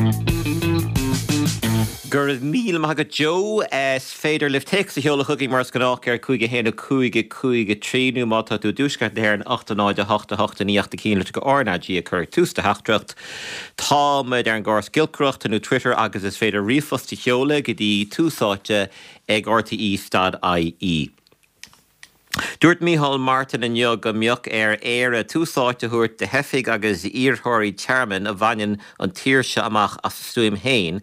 Go raibh míle maith agat Joe. Is féidir libh téacs a sheoladh chugainn mar is gnách ar 5 1 5 5 3 nó má tá tú i dtuaisceart na hÉireann 8 0 8 8 9 8 1 litreacha RnaG a chur ag tús do theachtaireacht. Tá muid ar an gcóras giolcaireachta nó Twitter agus is féidir ríomhphost a sheoladh go dtí tús áite ag rte.ie. Dúirt Micheál Martin inniu go mbeadh ar Éire tús áite a thabhairt do theifigh agus d'iarrthóirí tearmainn a bhaineann an tír seo amach as a stuaim féin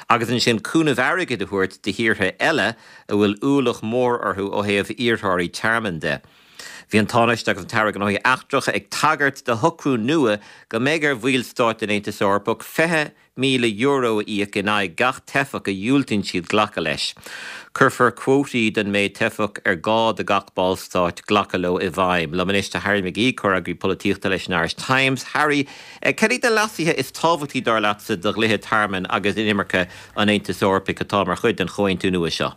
agus ansin cúnamh airgid a thabhairt do thíortha eile a bhfuil ualach mór orthu ó thaobh iarrthóirí tearmainn de. Bhí an Tánaiste agus an tAire Gnóthaí Eachtracha ag tagairt do shocrú nua go mbeidh ar bhaill stáit den Aontas Eorpach €20,000 a íoc in aghaidh gach teifeach a dhiúltaíonn siad glacadh leis. Cuirfear cuótaí don méid teifeach ar gá do gach ballstát glacadh leo i bhfeidhm. Liom anois tá Harry McGee, comhfhreagraí polaitíochta leis an Irish Times. Harry, cad iad na leasuithe is tábhachtaí dar leatsa do dhlíthe tearmainn agus inimirce an Aontais Eorpaigh atá mar chuid den chomhaontú nua seo?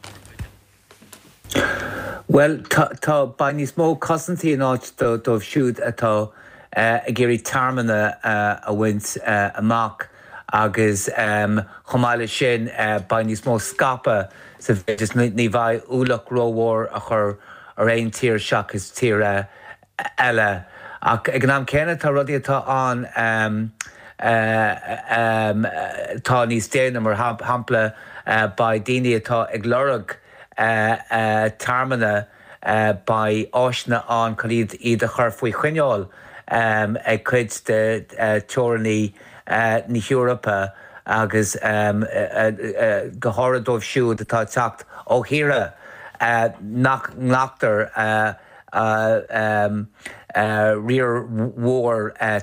Bhuel, tá, tá, beidh níos mó cosaintí in áit dóibh siúd atá ag iarraidh tearmann a bhaint amach agus chomh maith leis sin beidh níos mó scaipeadh sa mhéid is ní bheidh ualach rómhór a chur ar aon tír seachas tír eile. Ach ag an am céanna tá rudaí atá ann atá níos déine, mar shampla beidh daoine atá ag lorg tearmanna, beidh áiseanna ann chun iad iad a chur faoi choinneáil ag cuid de teorannaí na hEorpa agus go háirithe dóibh siúd atá ag teacht ó thíortha nach nglactar riar mhór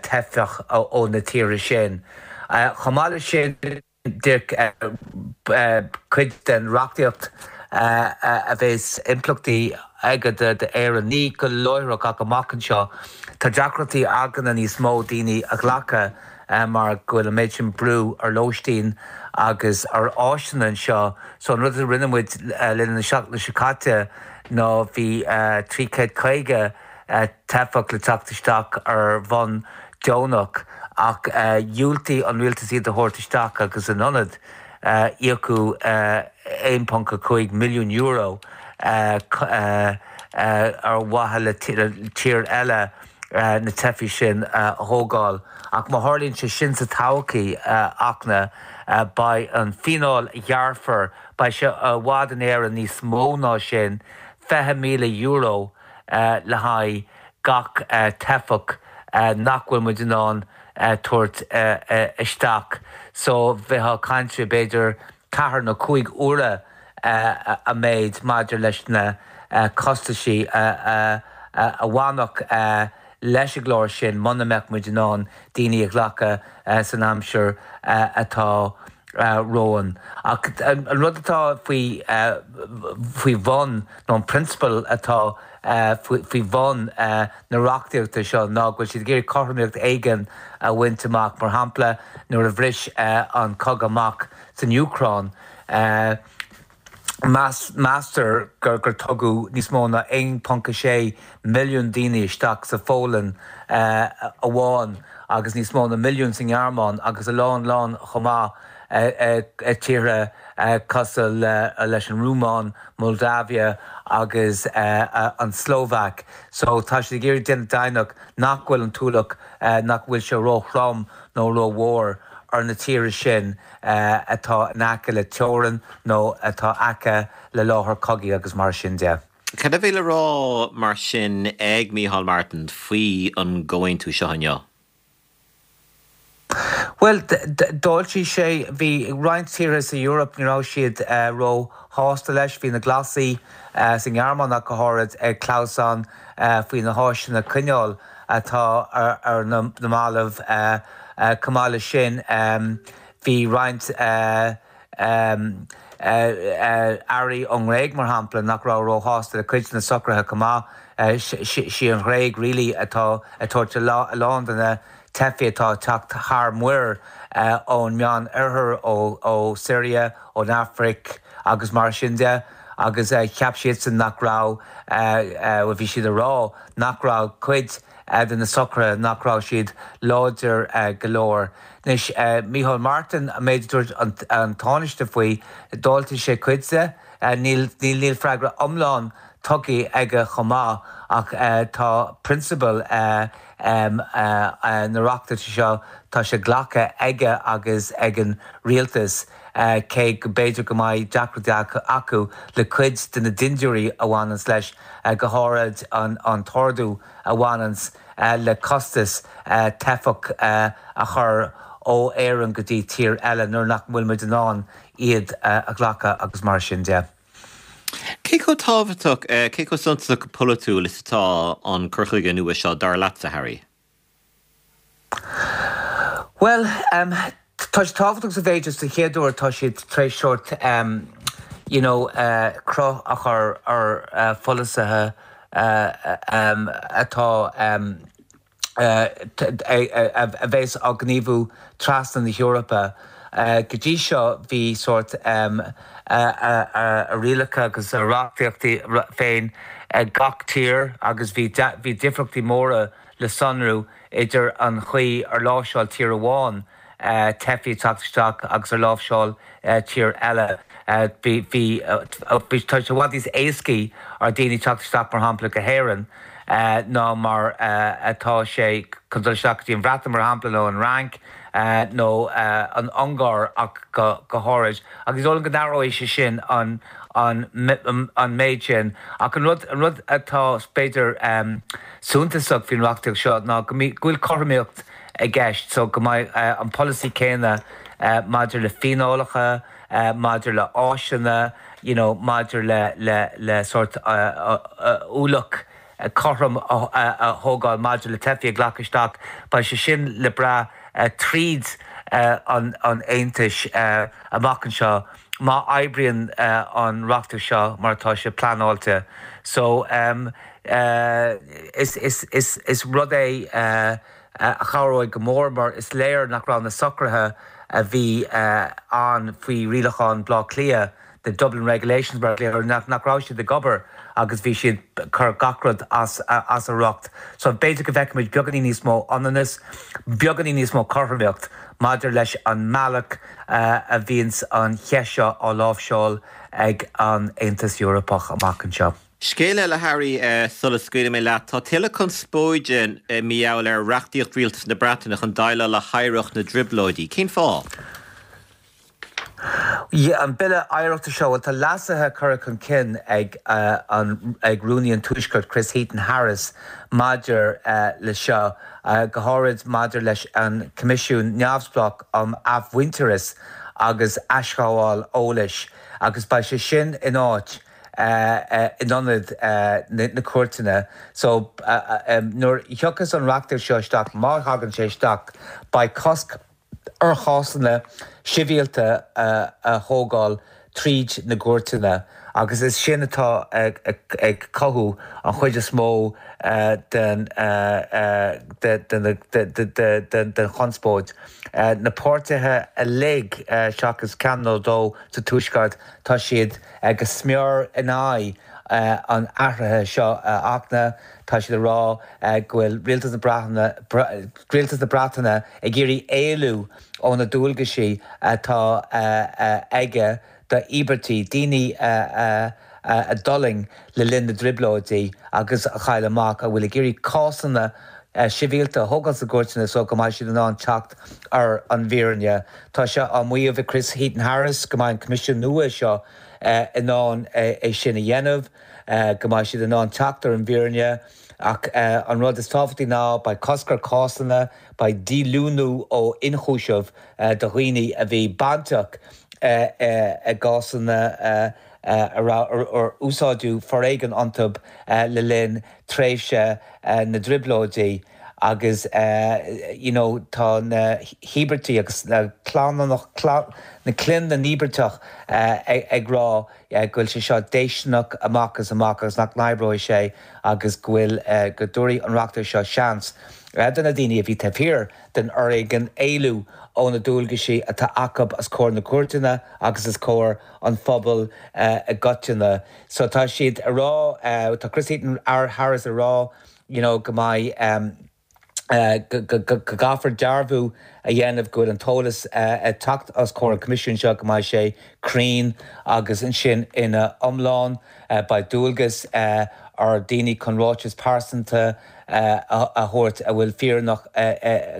teifeach ó na tíortha sin. Chomh maith leis sin, cuid den reachtaíocht a bheas impleachtaí aige d'Éirinn, ní go láithreach ach amach anseo, tá deacrachtaí againne níos mó daoine a ghlacadh mar go bhfuil an méid sin brú ar lóistín agus ar áiseanna anseo. So an rud a rinne muid le linn na seachtaine seo caite, ná bhí 350 teifeach le teacht isteach ar bhonn deonach ach dhiúltaigh an rialtas iad a thabhairt isteach agus in ionad íocadh €1.5 milliún ar mhaithe le tír eile na teifigh sin a thógáil. Ach má tharlaíonn sé sin sa todhchaí, a Fhachtna, beidh an fíneáil a ghearrfar Beidh sé i bhfad in Éirinn níos mó ná sin, €20,000 le haghaidh gach teifeach nach bhfuil muid in ann tabhairt isteach. So bheifeá ag caint faoi b'fhéidir ceathair nó cúig huaire an méid maidir leis na costaisí a bhainfeadh leis an gclár sin muna mbeadh muid in ann daoine a ghlacadh san aimsir atá romhainn. Ach an rud atá faoi faoi bhun, nó an prionsabal atá faoi bhun na reachtaíochta seo ná go bhfuil siad ag iarraidh cothromaíocht éigin a bhaint amach. Mar shampla, nuair a bhris an cogadh amach san Úcráin, Meastar gur tugadh níos mó ná 1.6 milliún daoine isteach sa Pholainn amháin agus níos mó ná milliún sa nGearmáin agus a lán lán chomh maith i tíortha cosúil leis an Rúmáin, Moldavia agus an tSlóvaic. So tá siad ag iarraidh déanamh deimhneach nach bhfuil an t-ualach, nach bhfuil sé ró-throm nó ró-mhór ar na tíortha sin. atá in aice le teorainn nó atá aice le láthair cogaidh agus mar sin de. Cad a bhí le rá mar sin ag Micheál Martin faoi an gcomhaontú seo inniu? Bhuel, d'fháiltigh sé. Bhí roinnt tíortha sa Eoraip, ní raibh siad ró-shásta leis. Bhí na Glasaigh sa nGearmáin ach go háirid ag clamhsán faoi na háiseanna coinneáil atá ar na mallaibh. Chomh maith leis sin, bhí roinnt airí ón nGréig, mar shampla, nach raibh róshásta le cuid de na socruithe chomh maith. Sí an Ghréig really atá ag tabhairt a lán de na teifigh atá ag teacht thar muir ón Meán Oirthear, ó Syria, ón Afraic agus mar sin de. agus cheap siadsan nach raibh, bhuel bhí siad ag rá nach raibh cuid de na socruithe, nach raibh siad láidir go leor. Anois, Micheál Martin, an méid a dúirt an Tánaiste faoi, d'fháiltigh sé cuid de. Níl, níl freagra iomlán tugtha aige chomh maith ach tá prionsabail na reachtaíochta seo, tá sé glactha aige agus ag an rialtas, cé go b'fhéidir go mbeidh deacrachtaí acu le cuid de na dindiúirí a bhaineanns leis, go háirid an t-ardú a bhaineanns le costas teifeach a chur ó Éirinn go dtí tír eile nuair nach bhfuil muid in ann iad a ghlacadh agus mar sin de. Cé chomh tábhachtach, cé chomh suntasach go polaitiúil is atá an cur chuige nua seo, dar leatsa, Harry? Bhuel, tá sé tábhachtach sa mhéid is den chéad uair tá siad tar éis sórt you know cruth a chur ar pholasaithe atá a bheas á ngníomhú trasna na hEorpa. Go dtí seo bhí sórt a rialacha agus a reachtaíochtaí féin ag gach tír agus bhí difríochtaí móra le sonrú idir an chaoi ar láimhseáil tír amháin teifigh ag teacht isteach agus ar láimhseáil tír eile. Bhí, bhí, bhí, tá sé i bhfad níos éascaí ar daoine teacht isteach mar shampla go hÉirinn ná mar atá sé chun dul isteach go dtí an Bhreatain mar shampla nó an Fhrainc nó an Ungáir ach go go háirid. Agus is dóigh liom go n-athróidh sé sin an an an méid sin. Ach an rud an rud atá b'fhéidir suntasach faoin reachtaíocht seo ná go go bhfuil cothromaíocht i gceist so go mbeidh an polasaí céanna maidir le fíneálacha, maidir le áiseanna, you know maidir le le le sórt ualach cothrom a thógáil maidir le teifigh a ghlacadh isteach, beidh sé sin le brath tríd an an Aontais amach anseo má oibríonn an reachtaíocht seo mar atá sé pleanáilte. So is is is is rud é a chabhróidh go mór mar is léir nach raibh na socruithe a bhí ann faoi Rialacháin Bhaile Átha Cliath, the Dublin Regulations mar a glaotar orthu, nach raibh siad ag obair agus bhí siad ag cur gach rud as a riocht. So b'fhéidir go bhfeicfimid beagáinín níos mó ionannas, beagáinín níos mó cothromaíocht maidir leis an mbealach a bhíonns an cheist seo á láimhseáil ag an Aontas Eorpach amach anseo. Scéal eile, Harry, sula scaoilfidh mé leat. Tá tuilleadh conspóide mar gheall ar reachtaíocht rialtas na Breataine chun déileáil le hoidhreacht na dTrioblóidí. Cén fáth? An Bille Oidhreachta seo, bhuel tá leasuithe curtha chun cinn ag an ag Rúnaí an Tuaiscirt Chris Heaton-Harris maidir le seo, go háirid maidir leis an Coimisiún Neamhspleách um Athmhuintearas agus Aisghabháil Eolais agus beidh sé sin in áit in ionad na cúirteanna. So nuair a thiocfas an reachtaíocht seo isteach, má thagann sé isteach, beidh cosc ar chásanna sibhialta a thógáil tríd na gcúirteanna agus is sin atá ag cothú an chuid is mó den chonspóid. Na páirtithe uilig, seachas ceann nó dó sa Tuaisceart, tá siad go smior in aghaidh an athraithe seo a Fhachtna. Tá siad ag rá go bhfuil Rialtas na Breataine, Rialtas na Breataine ag iarraidh éalú ó na dualgaisí atá aige d'íobartaigh, daoine a d'fhulaing le linn na dTrioblóidí agus a chaill a mac, a bhfuil ag iarraidh cásanna sibhialta a thógáil sna gcúirteanna so go mbeidh siad in ann teacht ar an bhfírinne. Tá sé á maíomh ag Chris Heaton-Harris go mbeidh an Coimisiún nua seo in ann é sin a dhéanamh, go mbeidh siad in ann teacht ar an bhfírinne ach an rud is tábhachtaí ná beidh cosc ar chásanna, beidh díolúine ó ionchúiseamh do dhaoine a bhí bainteach i gcásanna a raibh ar úsáideadh foréigean iontu le linn tréimhse na dTrioblóidí agus you know tá na híobartaigh agus na clann na clann na n-íobartach ag rá go bhfuil sé seo déistineach amach is amach agus nach n-oibreoidh sé agus go bhfuil go dtabharfaidh an reachtaíocht seo seans. do na daoine a bhí taobh thiar den fhoréigean éalú ó na dualgaisí atá acu os comhair na gcúirteanna agus os comhair an phobail i gcoitinne. So tá siad a rá, tá Chris Heaton Harris a rá you know go mbeidh, go gcaithfear dearbhú a dhéanamh go bhfuil an t-eolas ag teacht os comhair an Choimisiúin seo, go mbeidh sé cruinn agus ansin ina iomlán. Beidh dualgas ar daoine chun ráiteas pearsanta a thabhairt a bhfuil fírinneach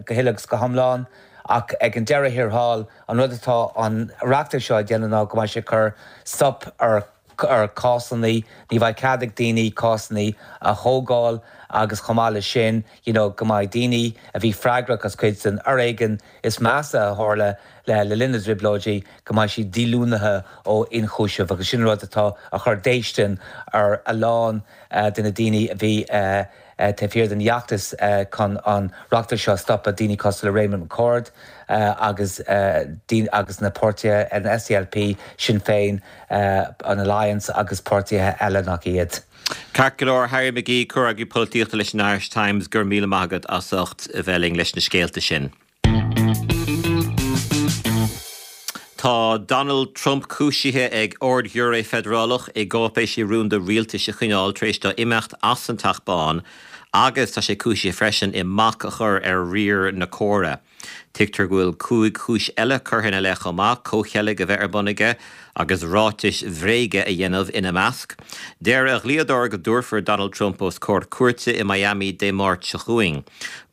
go huile agus go hiomlán. Ach ag an deireadh thiar thall, an rud atá an reachtaíocht seo a dhéanamh ná go mbeidh sé ag cur stop ar ar cásanna, ní bheidh cead ag daoine cásanna a thógáil agus chomh maith leis sin, you know, go mbeidh daoine a bhí freagrach as cuid den fhoréigean is measa a tharla le le linn na dTrioblóidí, go mbeidh siad díolúnaithe ó ionchúiseamh agus sin rud atá a chur déistin ar a lán de na daoine a bhí taobh thiar den fheachtas chun an reachtaíocht seo a stopadh, daoine cosúil le Raymond McCord agus agus na páirtithe, an SDLP, Sinn Féin, an Alliance agus páirtithe eile nach iad. Ceart go leor, Harry McGee, comhfhreagraí polaitíochta leis an Irish Times, go raibh míle maith agat as ucht a bheith linn leis na scéalta sin. Tá Donald Trump cúisithe ag Ard-Ghiúiré Feidearálach i gcáipéisí rúnda rialtais a choinneáil tar éis dó imeacht as an Teach Bán agus tá sé cúisithe freisin i mbac a chur ar riar na córa. Tuigtear go bhfuil 5 chúis eile curtha ina leith chomh maith, comhcheilg a bheith ar bun aige agus ráitis bhréige a dhéanamh ina measc. Deir a dhlíodóir go dtabharfar Donald Trump os comhair cúirte i Miami Dé Máirt seo chugainn.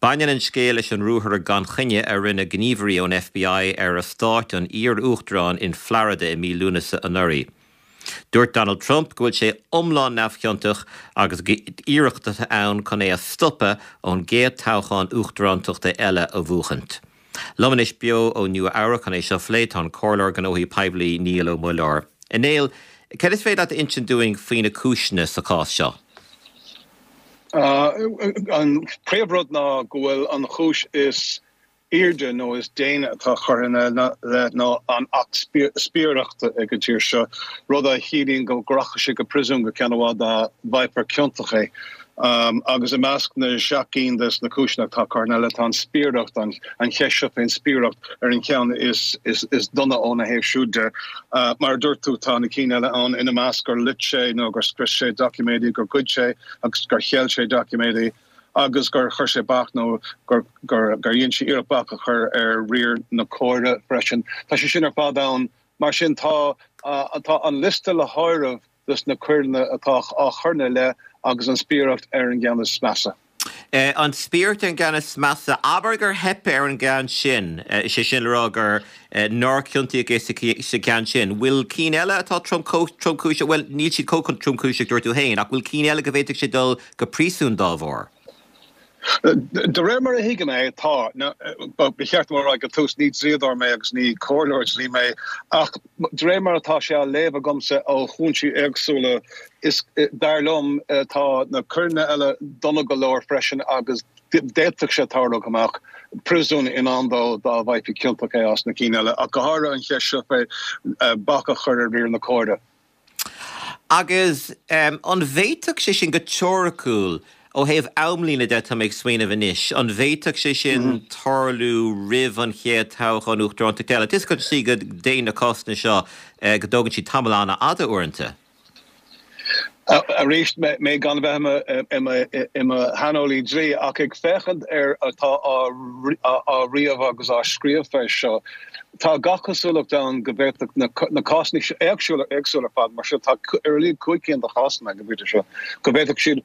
Baineann an scéal leis an ruathar gan choinne a rinne gníomhairí ón FBI ar eastát an iar-uachtaráin in Florida i mí Lúnasa anuraidh. Dúirt Donald Trump go bhfuil sé iomlán neamhchiontach agus gur iarracht atá ann chun é a stopadh ón gcéad toghchán uachtarántachta eile a bhuachaint. Liom anois beo ó Nua Eabhrac chun é seo a phlé tá an Comhairleoir Gnóthaí Poiblí Niall Ó Muilleoir. A Néill, céard is féidir leat a insint dúinn faoi na cúiseanna sa chás seo? An príomhrud ná go bhfuil an chúis is airde nó is déine atá curtha ina leith ná an Acht Spiaireachta ag an tír seo, rud a chiallaíonn go rachaidh sé go príosún go ceann i bhfad dá bhfaighfear ciontach é. Agus i measc na seacht gcinn des na cúiseanna atá curtha ina leith tá an spiaireacht, an cheist seo faoin spiaireacht ar an cheann is dona óna thaobh siúd de. Mar a dúirt tú, tá na cinn eile ann, ina measc gur loit sé nó gur scrios sé doiciméidí, gur ghoid sé agus gur cheil sé doiciméidí. agus gur chuir sé bac nó gur dhein sé iarracht bac a chur ar riar na córa freisin. Tá sé sin ar fad ann. Mar sin tá tá an liosta le háireamh dos na coireanna atá á chur ina leith agus an spiaireacht ar an gceann is measa. An spiaireacht ar an gceann is measa. Abair gur theip ar an gceann sin, is é sin le rá gur nár ciontaíodh é sa gceann sin. Bhfuil cinn eile atá tromchúiseach, bhuel, níl siad chomh tromchúiseach, dúirt tú féin, ach bhfuil cinn eile go bhféadfadh sé dul go príosún dá bharr? De réir mar a thuigim é, tá. Ba cheart dom a rá ag an tús, ní dlíodóir mé agus ní comhairleoir dlí mé, ach de réir mar atá sé á léamh agamsa ó chúinsí éagsúla, is dar liom, tá na coireanna eile dona go leor freisin agus D'fhéadfadh sé tarlú go mbeadh príosún i ndán dó dá bhfaighfí ciontach é as na cinn eile, ach go háirithe an cheist seo fé bac a chur ar riar na córa. Agus an bhféadfadh sé sin, go teoiriciúil, ó thaobh amlíne de, tá mé ag smaoineamh anois, an bhféadfadh sé sin tarlú roimh an chéad toghchán uachtarántachta eile? Tá a fhios agat go dtéann na cásanna seo, go dtógann siad tamall an-fhada uaireanta. Arís, mé gan a bheith i mo shaineolaí dlí, ach ag féachaint ar atá á ríomh agus á scríobh fé seo, tá gach cosúlacht ann go bhféadfadh na cásanna seo, éagsúla ar fad, mar seo, tá ar a laghad 5 cinn de chásanna ag an bpointe seo, go bhféadfadh siad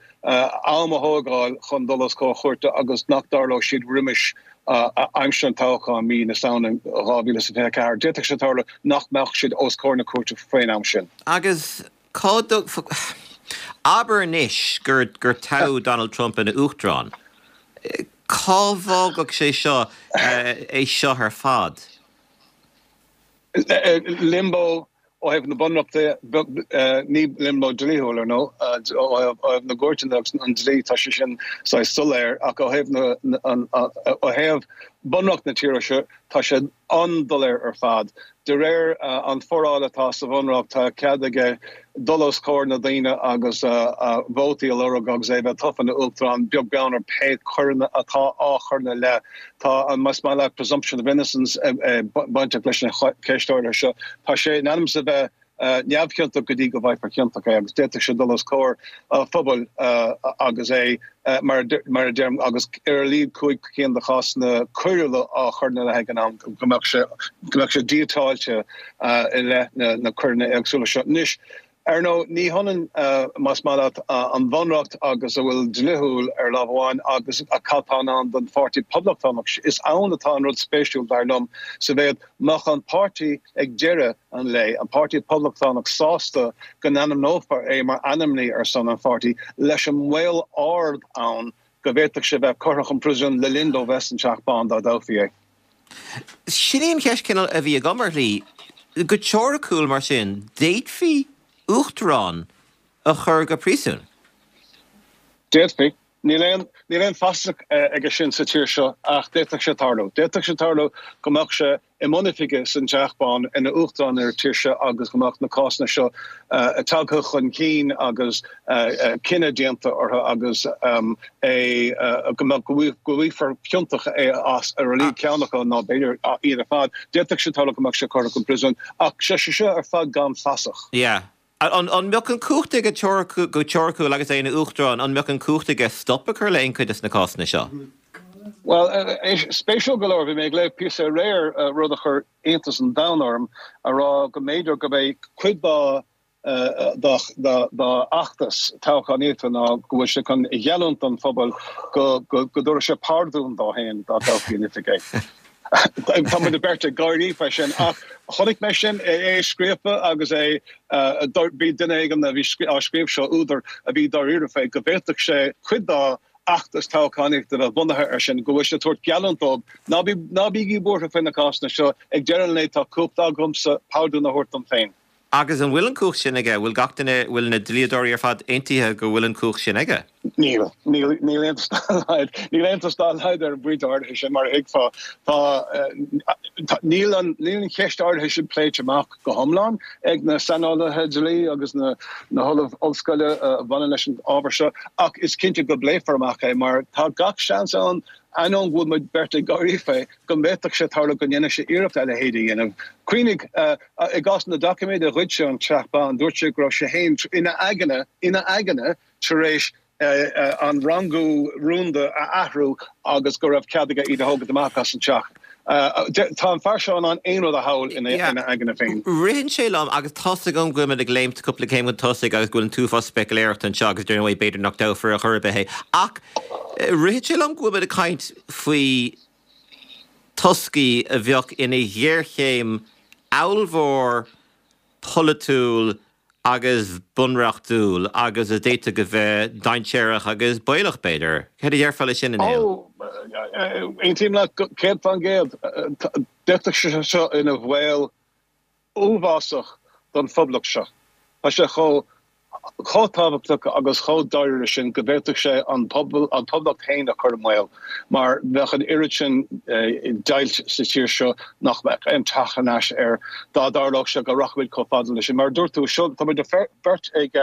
am a thógáil chun dul os comhair chúirte agus nach dtarlódh siad roimis aimsir an toghcháin mí na Samhna 2024. D'fhéadfadh sé tarlú nach mbeadh siad os comhair na cúirte faoin am sin. Agus cá dtug, abair anois gur gur toghadh Donald Trump ina uachtarán, cá bhfágfadh sé seo é seo ar fad? Limbo ó thaobh na bunreachta, ní limbo dlíthiúil, ar ndóigh, ó thaobh na gcúirteanna agus an dlí, tá sé sin saghas soiléir, ach ó thaobh na, ó thaobh. Bunreacht na tíre seo, tá sé an-doiléir ar fad. De réir an foráil atá sa Bhunreacht, tá cead aige dul os comhair na daoine agus vótaí a lorg agus é a bheith tofa ina Uachtarán, beag beann ar pé coireanna atá á chur ina leith. Tá an, más maith leat, presumption of innocence bainteach leis an cheist áirithe seo. Tá sé in ainm is a bheith neamhchiontach go dtí go bhfaighfear ciontach é agus d'fhéadfadh sé dul os comhair an phobail agus é, mar a deirim, agus ar a laghad 5 cinn de chásanna coiriúla á chur ina leith ag an am, go mbeadh sé, go mbeadh sé díotáilte i leith na coireanna éagsúla seo. Anois, ar ndóigh, ní hionann, más maith leat, an Bhunreacht agus a bhfuil dlíthiúil ar lámh amháin agus cad tá in ann don Pháirtí Poblachtánach. Is ann atá an rud spéisiúil, dar liom, sa mhéad mbeadh an páirtí ag deireadh an lae, an Páirtí Poblachtánach sásta go n-ainmneofar é mar ainmní ar son an pháirtí, leis an mbaol ard ann go bhféadfadh sé bheith curtha chun príosúin le linn dó bheith san Teach Bán dá dtoghfaí é. Sin í an cheist cineál a bhí agam ar shlí. Go teoiriciúil, mar sin, d'fhéadfaí uachtarán a chur go príosún? D'fhéadfaí. Níl aon, níl aon fasach aige sin sa tír seo ach d'fhéadfadh sé tarlú. D'fhéadfadh sé tarlú go mbeadh sé i mbun oifige san Teach Bán ina Uachtarán ar an tír seo agus go mbeadh na cásanna seo tagtha chun cinn agus cinneadh déanta orthu agus é go mbeadh, go bhfaighfear ciontach é as ar a laghad ceann acu nó b'fhéidir iad ar fad. D'fhéadfadh sé tarlú go mbeadh sé curtha chun príosúin ach sé seo ar fad gan fasach. Yeah. An mbeadh an cumhacht aige go teoiriciúil agus é ina Uachtarán, an mbeadh an cumhacht aige stop a chur le aon chuid de na cásanna seo? Bhuel, spéisiúil go leor, bhí mé ag léamh píosa aréir, rud a chuir iontas an domhain orm, a rá go mb'fhéidir gurb é cuid dá dá fheachtas toghchánaíochta ná go bhfuil sé chun a gheallúint don phobal go dtabharfaidh sé pardún dó féin dá dtoghfaí in oifig é. Tá muid beirt ag gáirí faoi sin ach chonaic mé sin, é scríofa agus é, bhí duine éigin a bhí á scríobh seo, údar a bhí dáiríre fé, go bhféadfadh sé cuid dá fheachtas toghchánaíochta a bheith bunaithe air sin, go bhfuil sé ag tabhairt geallúint dóibh, ná bí, ná bígí buartha faoi na cásanna seo, ag deireadh an lae tá cumhacht agamsa pardún a thabhairt dom féin. Agus an bhfuil an cumhacht sin aige? Bhfuil gach duine, bhfuil na dlíodóirí ar fad aontaithe go bhfuil an cumhacht sin aige? Níl. Níl, níl aontas dá laghad, níl aontas dá laghad ar an bpointe áirithe sin, mar a thuigfeá. Tá, tá, níl an, níl an cheist áirithe sin pléite amach go hiomlán ag na saineolaithe dlí agus na, na hollaimh ollscoile a bhaineann leis an ábhar seo, ach is cinnte go bpléifear amach é mar tá gach seans ann, ainneoin go bhfuil muid beirt ag gáirí fé, go bhféadfadh sé tarlú go ndéanfadh sé iarracht a leithéid a dhéanamh. Cuimhnigh, i gcás na doiciméid a ghoid sé ón Teach Bán, dúirt sé go raibh sé féin ina aigne, ina aigne, tar éis an rangú rúnda a athrú agus go raibh cead aige iad a thógaint amach as an teach. Tá an fear seo in ann aon rud a shamhlú ina aigne féin. Ritheann sé liom, agus tá's agam go bhfuil muid ag léimt cúpla céim chun tosaigh agus go bhfuil an t-uafás speicealéireachta anseo agus dar ndóigh b'fhéidir nach dtoghfar ar chor ar bith é, ach ritheann sé liom go bhfuil muid ag caint faoi toscaí a bheadh ina ghéarchéim ollmhór polaitiúil agus bunreachtúil agus a d'fhéadfadh a bheith dainséarach agus baolach, b'fhéidir. Céard a déarfá leis sin, a Néill? Ó, aontaím leat 100%. D'fhéadfadh sé seo ina bhaol uafásach don phoblacht seo. Tá sé chomh chomh tábhachtach agus chomh dáiríre sin go bhféadfadh sé an pobal, an phoblacht féin a chur i mbaol mar bheadh an oiread sin deighilt sa tír seo nach mbeadh aon teacht thar n-ais air dá dtarlódh sé go rachaimid chomh fada leis sin. Mar a dúirt tú, seo, tá muid beirt ag,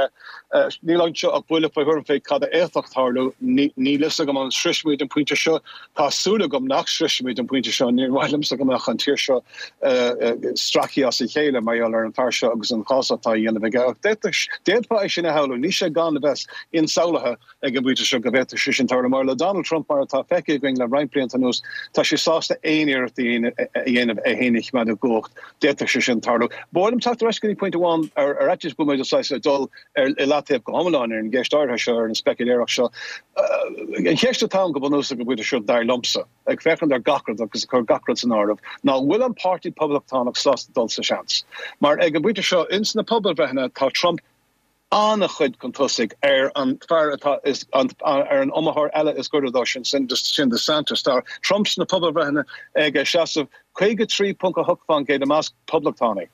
níl anseo ach buille faoi thuairim fé cad a fhéadfadh tarlú. Níl fhios agam an sroisfimid an pointe seo. Tá súil agam nach sroisfimid an pointe seo. Níor mhaith liomsa go mbeadh an tír seo stractha as a chéile mar gheall ar an fear seo agus an chás atá á dhéanamh aige. Ach d'fhéadfá é sin a shamhlú. Níl sé gan a bheith insamhlaithe ag an bpointe seo go bhféadfadh sé sin tarlú. Mar le Donald Trump, mar atá feicthe againn le roinnt blianta anuas, tá sé sásta aon iarracht a dhéanamh é féin a choimeád i gcumhacht. D'fhéadfadh sé sin tarlú. Ba mhaith liom teacht ar ais go dtí pointe amháin ar fhaitíos go bhfuil muid saghas ag dul ar i leataobh go hiomlán ar an gceist áirithe seo, ar an speicealéireacht seo. An cheist atá ann go bunúsach ag an bpointe seo, dar liomsa, ag féachaint ar gach rud agus ag cur gach rud san áireamh, ná an bhfuil an Páirtí Poblachtánach sásta dul sa seans? Mar ag an bpointe seo, ins na pobalbhreitheanna, tá Trump an-chuid chun tosaigh ar an fear atá is ar an iomaitheoir eile is gaire dó sin, sin DeSantis. Tá Trump sna pobalbhreitheanna ag seasamh 53.8% i measc poblachtánaigh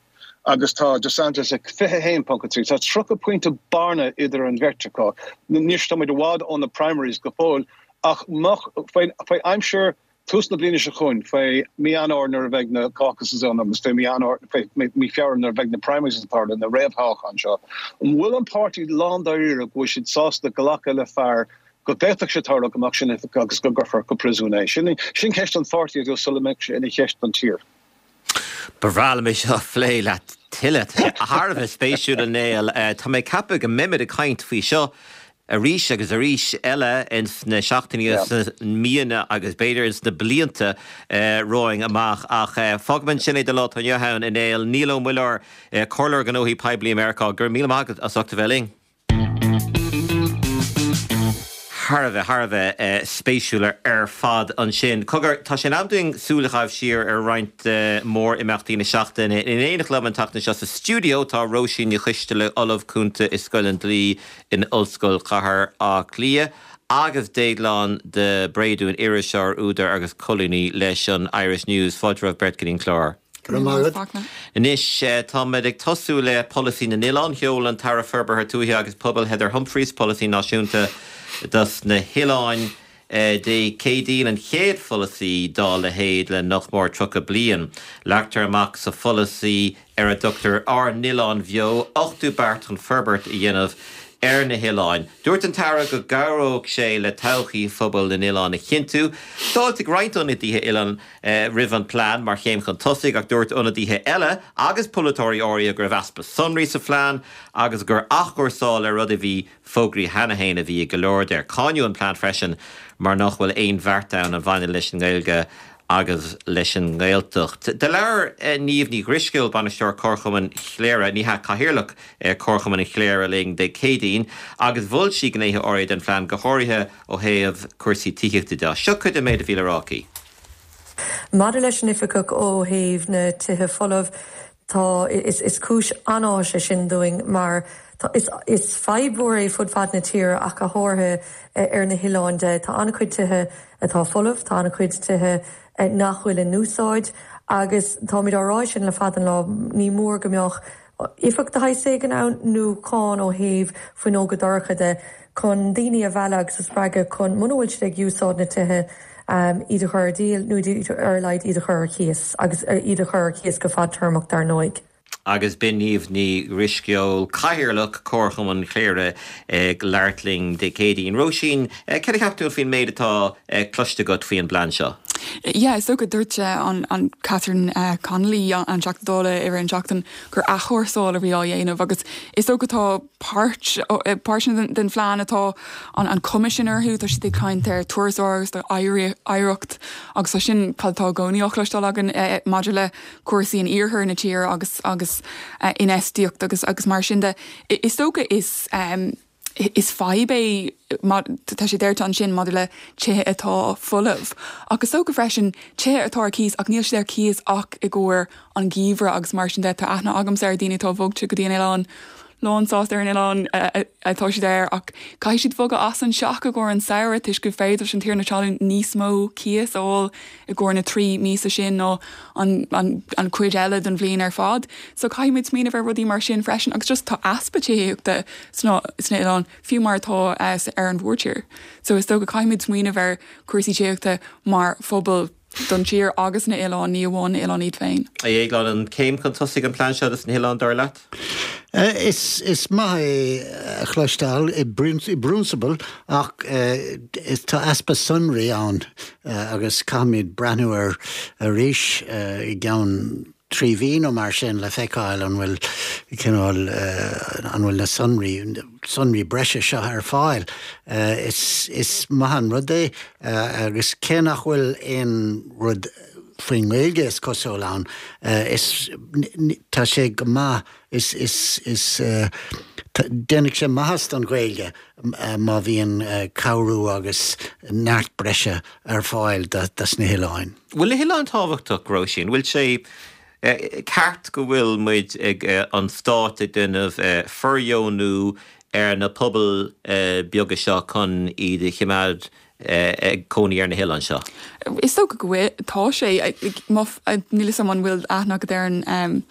agus tá DeSantis ag 21.3. Tá 30 pointe bearna idir an bheirt acu. Anois tá muid i bhfad ó na primaries go fóill ach faoi aimsir. Tús na bliana seo chugainn, faoi mí Eanáir nuair a bheidh na caucuses ann agus faoi mí Eanáir, faoi mí Feabhra nuair a bheidh na primaries ag tarlú, na réamhthoghcháin seo, an bhfuil an páirtí lándáiríre go bhfuil siad sásta glacadh le fear go bhféadfadh sé tarlú go mbeadh sé in oifig agus go gcuirfear go príosún é? Sin ceist don pháirtí ar dtús sula mbeidh sé ina cheist don tír. Ba bhreá liom é seo a phlé leat tuilleadh. Tá sé thar a bheith spéisiúil, a Néill. Tá mé ag ceapadh go mbeimid ag caint faoi seo arís agus arís eile ins na seachtainí agus sna míonna agus b'fhéidir ins na blianta romhainn amach. Ach fágfaidh ansin é don lá atá inniu ann, a Néill. Niall Ó Muilleoir, Comhairleoir Gnóthaí Poiblí i Meiriceá, go raibh míle maith agat as ucht a bheith linn. Thar a bheith, thar a bheith spéisiúil ar fad ansin. Cogar, tá sé in am dúinn súil a chaitheamh siar ar roinnt de mhór-imeachtaí na seachtaine. In éineacht liom an tseachtain seo sa stiúideo tá Róisín Ní Choisteala, Ollamh Cúnta i Scoil an Dlí in Ollscoil Chathair Átha Cliath agus Déaglán de Bréadún, iriseoir, údar agus colúnaí leis an Irish News. Fáilte romhaibh beirt go dtí an clár. Go raibh maith agat. Anois, táimid ag tosú le Polasaí na nOileán. Sheol an tAire Forbartha Tuaithe agus Pobail Heather Humphreys polasaí náisiúnta dos na hoileáin Dé Céadaoin, an chéad pholasaí dá leithéid le nach mór 30 bliain. Leagtar amach sa pholasaí, ar a dtugtar Ár nOileáin Bheo, 80 beart chun forbairt a dhéanamh ar na hoileáin. Dúirt an tAire go gcabhródh sé le todhchaí phobail na n-oileán a chinntiú. D'fháiltigh roinnt ionadaithe oileán roimh an phlean mar chéim chun tosaigh ach dúirt ionadaithe eile agus polaiteoirí áirithe go raibh easpa sonraí sa phlean agus gur athchúrsáil ar rud a bhí fógraithe cheana féin a bhí i go leor de. Cáineadh an plean freisin mar nach bhfuil aon bheart ann a bhaineann leis an nGaeilge agus leis an nGaeltacht. Do labhair Niamh Ní Dhrisceoil, Bainisteoir Comharchumann Chléire, ní hea, Cathaoirleach Comharchumann Chléire linn Dé Céadaoin agus mhol sí gnéithe áirithe den phlean, go háirithe ó thaobh cúrsaí tithíochta de. Seo cuid den méid a bhí le rá aici. Maidir leis an oifigeach ó thaobh na tithe folamh, Tá, is cúis an-áthais é sin dúinn mar tá, is, is fadhb mhór é fud fad na tíre ach go háirithe ar na hoileáin de. Tá an-chuid tithe atá folamh, tá an-chuid tithe nach bhfuil in úsáid agus táimid á rá sin le fada an lá, ní mór go mbeadh éifeacht de shaghas éigin ann nó cáin ó thaobh fuinneoga dorcha de chun daoine a mhealladh agus a spreagadh chun, muna bhfuil siad ag úsáid na tithe, iad a chur ar díol nó ar a laghad iad a chur ar cíos agus iad a chur ar cíos go fadtéarmach dar ndóigh. Agus b'in Niamh Ní Dhrisceoil, Cathaoirleach Comharchumann Chléire ag labhairt linn Dé Céadaoin. Róisín, céard a cheap tú faoin méid atá cloiste agat faoi an bplean seo? Yeah, is dócha, dúirt an Catherine Connolly, an Teachta Dála i rith an tseachtain gur athchúrsáil a bhí á dhéanamh agus is dócha tá páirt, páirteanna den phlean atá an cuma sin orthu, tá siad ag caint ar turasóireacht, ar oidhreacht agus tá sin cad atá i gcónaí á chloisteáil againn maidir le cúrsaí in iarthar na tíre agus agus infheistíocht agus agus mar sin de. Is dócha is is fadhb é tá sé deirte ansin maidir le tithe atá folamh ach is dócha freisin tithe atá ar cíos ach níl siad ar cíos ach i gcomhair an gheimhreadh agus mar sin de. Tá aithne agamsa ar daoine atá bogte go dtí an oileán lán sásta ar an oileán atá siad air ach caithfidh siad bogadh as an teach i gcomhair an samhradh toisc gur féidir leis an tiarna talún níos mó cíos a fháil i gcomhair na 3 míosa sin ná an an cuid eile den bhliain ar fad. So caithfidh muid smaoineamh ar rudaí mar sin freisin agus just tá easpa tithíochta sna sna oileáin fiú mar atá ar an mhórtír. So is dócha caithfidh muid smaoineamh ar cúrsaí tithíochta mar phobal don tír agus na hoileáin, ní amháin na hoileáin iad féin. A Dhéagláin, an céim chun tosaigh an plean seo dos na hoileáin, dar leat? Is maith é a chloisteáil i bprionsabal ach tá easpa sonraí ann agus caithfimid breathnú air arís i gceann 3 mhí nó mar sin le feiceáil an bhfuil cineál, an bhfuil na sonraí, sonraí breise seo ar fáil. Is maith an rud é agus cé nach bhfuil aon rud faoin nGaeilge is cosúil ann, is, tá sé go maith, is, is, is, déanfaidh sé maitheas don Ghaeilge má bhíonn cabhrú agus neart breise ar fáil dos na hoileáin. Bhfuil na hoileáin tábhachtach, Róisín? Bhfuil sé ceart go bhfuil muid ag, an stát ag déanamh fordheonú ar na pobail beaga seo chun iad a chimeád. ag cónaí ar na hoileáin seo? Is dócha go bhfuil, tá sé. Níl a fhios agam an bhfuil aithne agat ar an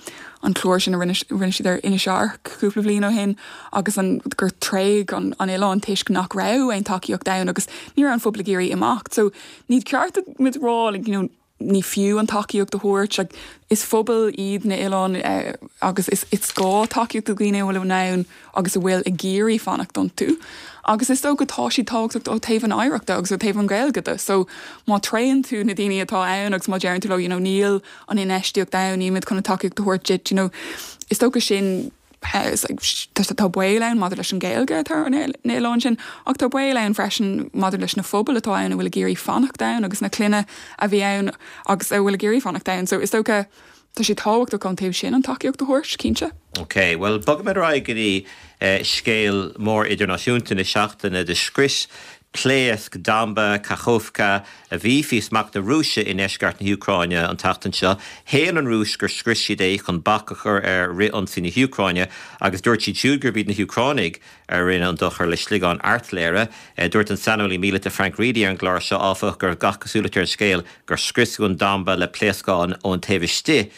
an clár sin a rinne rinne siad ar Inis Airc cúpla bliain ó shin agus an gur tréigeadh an an oileán toisc nach raibh aon tacaíocht ann agus ní raibh an phobal ag iarraidh imeacht. So ní ceart muid a rá like you know ní fiú an tacaíocht a thabhairt. Like, is phobal iad na oileáin agus is is gá tacaíocht do dhaoine a bhfuil in ann agus a bhfuil ag iarraidh fanacht iontu. Agus is dócha tá siad tábhachtach ó taobh an oidhreachta agus ó taobh an Ghaeilge de. So má tréigeann tú na daoine atá ann agus má deireann tú leo, you know, níl an infheistíocht ann, nílimid chun an tacaíocht a thabhairt duit, you know, is dócha sin Tá baol ann maidir leis an Ghaeilge atá ar na hoileáin sin, ach tá baol ann freisin maidir leis na phobail atá ann a bhfuil ag iarraidh fanacht ann agus na clainne a bhí ann agus a bhfuil ag iarraidh fanacht ann. So is dócha tá sé tábhachtach ón taobh sin an tacaíocht a thabhairt, cinnte. Ok, bhuel bogfaimid ar aghaidh go dtí scéal mór idirnáisiúnta na seachtaine. Do scrios pléasc damba Kakhovka a bhí faoi smacht na Rúise i ndeisceart na hÚcráine an tseachtain seo. Shéan an Rúis gur scrios siad é chun bac a chur ar fhrith-ionsaí na hÚcráine agus dúirt siad siúd gurb iad na hÚcránaigh a rinne an dochar le sliogáin airtléire. Dúirt an saineolaí míleata Frank Reidy ar an gclár seo, áfach, go raibh gach cosúlacht ar an scéal gur scriosadh an damba le pléascáin ón taobh istigh.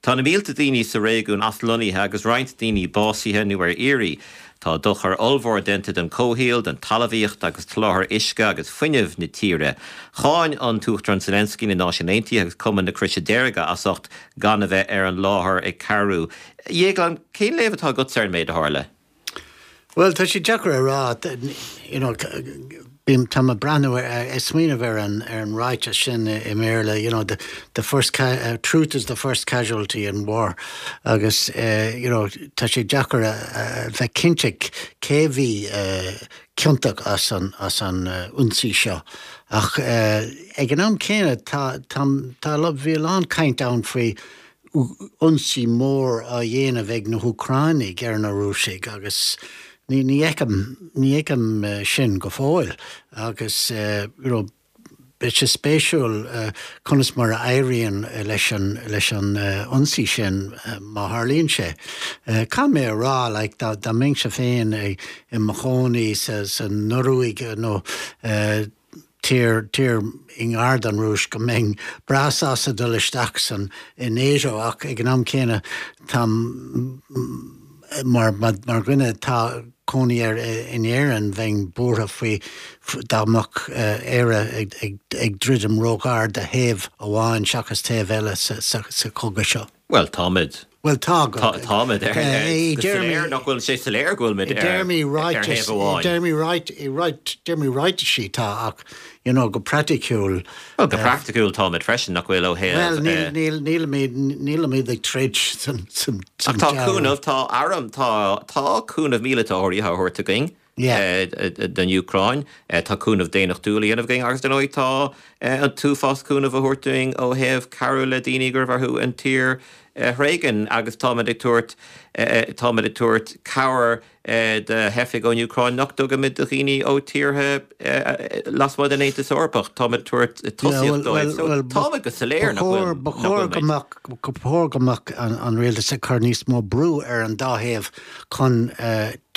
Tá na mílte daoine sa réigiún aslonnaithe agus roinnt daoine básaithe nó ar iarraidh. Tá dochar ollmhór déanta don chomhshaol, don talmhaíocht agus sholáthar uisce agus fuinnimh na tíre. Cháin an tUachtarán Zelensky na Náisiúin Aontaithe agus Cumann na Croise Deirge as ucht gan a bheith ar an láthair ag cabhrú. A Dhéagláin, cén léamh atá agatsa ar an méid a tharla? Bhuel, tá sé deacair a rá, you know, bím, tá mé ag breathnú ar, ag smaoineamh ar an, ar an ráiteas sin i mBéarla, you know, the, the first, truth is the first casualty in war agus, you know, tá sé deacair a, a bheith cinnte cé bhí ciontach as an, as an ionsaí seo. Ach ag an am céanna tá, tá, tá, bhí a lán caint ann faoi ionsaí mór á dhéanamh ag na hÚcránaigh ar na Rúisigh agus ní fheicim, ní fheicim sin go fóill agus you know beidh sé spéisiúil conas mar a éiríonn leis an, leis an ionsaí sin má tharlaíonn sé. Caithfidh mé a rá like dá, dá mbeinnse féin i mo chónaí sa, sa Noruaig nó tír, tír i ngar don Rúis, go mbeinn breá sásta dul isteach san, i NATO ach ag an am céanna táim, mar, mar dhuine atá cónaí air in Éirinn, bheinn buartha faoi dá mbeadh Éire ag, ag, ag druidim róghar do thaobh amháin seachas taobh eile sa, sa, sa chogadh seo. Bhuel, táimid. Bhuel, tá. Táimid ar, go soiléir, nach bhfuil sé soiléir go bhfuilimid ar thaobh amháin. I dtéarmaí ráit, i dtéarmaí ráitisí tá, ach, you know, go praiticiúil. Bhuel, go praiticiúil táimid freisin, nach bhfuil, ó thaobh. Bhuel, níl, nílimid, nílimid ag troid san, san Ach tá cúnamh, tá arm, tá, tá cúnamh míleata áirithe á thabhairt againn. don Úcráin. Tá cúnamh daonnachtúil á dhéanamh againn agus, dar ndóigh, tá an t-uafás cúnamh á thabhairt dúinn ó thaobh cabhrú le daoine go raibh orthu an tír a thréigean agus táimid ag tabhairt, táimid ag tabhairt cabhair do theifigh ón Úcráin nach dtugaimid do dhaoine ó tíortha lasmuigh den Aontas Eorpach. Táimid ag tabhairt tosaíocht dóibh. So, táimid go soiléir nach bhfuil, nach bhfuil muid. Ba chóir go mbeadh an rialtas ag cur níos mó brú ar an dá thaobh chun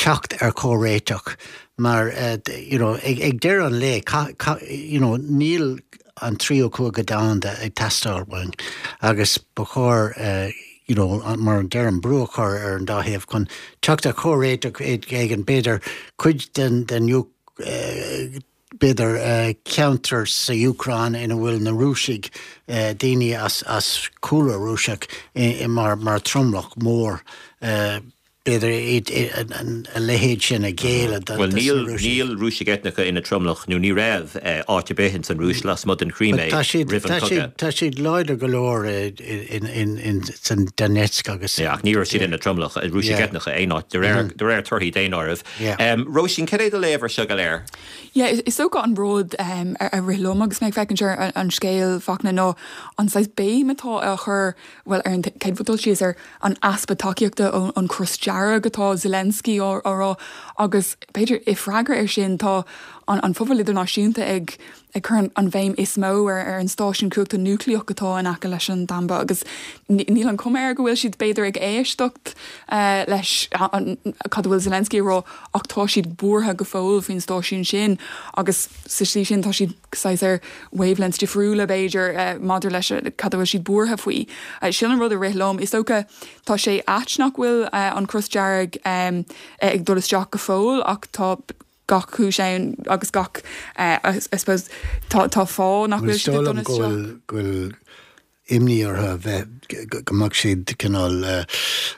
teacht ar chomhréiteach mar you know ag deireadh an lae you know níl an tríú cogadh domhanda ag teastáil uainn agus ba chóir you know mar a deirim brú a chur ar an dá thaobh chun teacht ar chomhréiteach éigin b'fhéidir cuid den den b'fhéidir ceantar sa Úcráin ina bhfuil na Rúisigh, daoine as cúlra Rúiseach mar mar tromlach mór, b'fhéidir a leithéid sin a ghéilleadh do na Rúisigh. Bhuel níl Rúisigh eitneacha ina dtromlach nó ní raibh áit ar bith ins an Rúis lasmuigh den Chrímé roimh an chogadh. Tá siad láidir go leor san Donetsk agus. Ach ní raibh siad ina dtromlach, Rúisigh eitneacha, aon áit de réir torthaí daonáirimh. Róisín, cad é do léamh ar seo go léir? Yeah, is dócha an rud a rith liom agus mé ag féachaint ar an scéal, Fachtna, ná an saghas béim atá á chur, bhuel, ar an chéad dul síos, ar an easpa tacaíochta ón Chros Dearg atá Zelensky á rá agus b'fhéidir i freagra air sin tá. an phobal idirnáisiúnta ag ag cur an bhéim is mó ar ar an stáisiún cumhachta núicléach atá in aice leis an damba agus níl an chuma air go bhfuil siad b'fhéidir ag éisteacht leis cad a bhfuil Zelensky ag rá ach tá siad buartha go fóill faoin stáisiún sin agus sa tslí sin tá siad saghas ar wavelengths difriúla b'fhéidir maidir leis cad a bhfuil siad buartha faoi. Sin an rud a rith liom. Is dócha tá sé ait nach bhfuil an Cros Dearg ag dul isteach go fóill ach tá gach cúis ann agus gach I suppose tá tá fáth nach bhfuil siad ag dul isteach. Is dóigh liom go bhfuil imní orthu a bheith go mbeadh siad cineál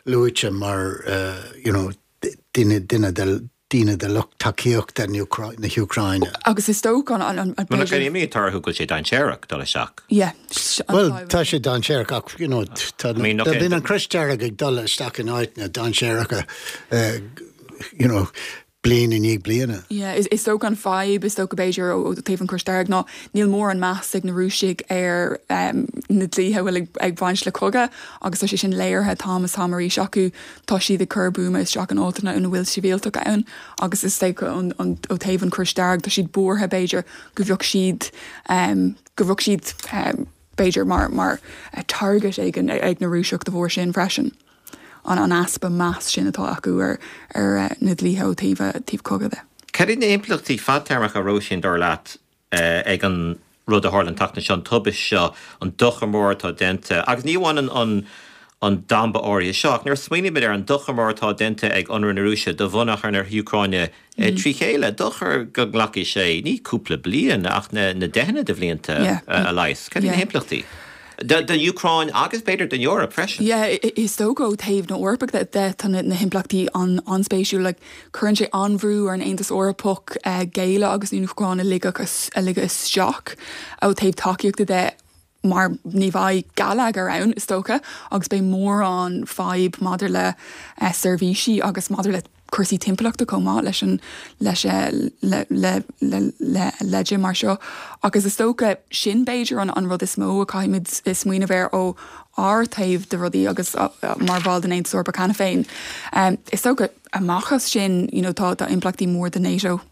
luaite mar you know duine duine de daoine de lucht tacaíochta na hÚcráine. Agus is dócha an, an, Bhuel, nach imní atá orthu go bhfuil sé dainséarach dul isteach? Yeah. Bhuel, tá sé dainséarach ach, you know, tá, bíonn an Crois Dearg ag dul isteach in áiteanna dainséaracha, you know, bliain i ndiaidh bliana. Yeah, is dócha an fadhb, is dócha b'fhéidir ó taobh an Chrois Dearg ná níl mórán meas ag na Rúisigh ar na dlíthe a bhfuil ag baint le cogadh agus tá sé sin léirithe t-am is t-am arís acu. Tá siad ag cur buama isteach in áiteanna ina bhfuil sibhialtaigh ann agus is dócha ó taobh an Chrois Dearg tá siad buartha b'fhéidir go bheadh siad go bheadh siad b'fhéidir mar mar target éigin ag na Rúiseach de bharr sin freisin. An an easpa meas sin atá acu ar ar na dlíthe ó taobh taobh cogadh de. Cad iad na himpleachtaí fadtéarmacha, Róisín, dar leat, ag an rud a tharla an tseachtain seo, an tubaist seo, an dochar mór atá déanta, agus ní amháin an an damba áirithe seo, ach nuair a smaoinímid ar an dochar mór atá déanta ag ionradh na Rúise do bhonneagar na hÚcráine trí chéile, dochar go nglacfaidh sé ní cúpla bliain ach na deicheanna de bhlianta a leigheas. Cad iad na himpleachtaí? Don Úcráin agus b'fhéidir don Eoraip freisin. Yeah, is dócha ó thaobh na hEorpa de tá na himpleachtaí an-spéisiúil. Like, cuireann sé an-bhrú ar an Aontas Eorpach géilleadh agus an Úcráin a ligeadh a ligeadh isteach ó thaobh tacaíochta de mar ní bheidh geilleagar ann, is dócha, agus beidh mórán fadhb maidir le seirbhísí agus maidir le cúrsaí timpeallachta chomh maith leis an leis le le le le leide mar seo. Agus is dócha sin b'fhéidir an an rud is mó a caithfimid smaoineamh air ó ár taobh de rudaí agus mar bhall den Aontas Eorpach cheana féin. Is dócha amach as sin you know tá tá impleachtaí mór do NATO.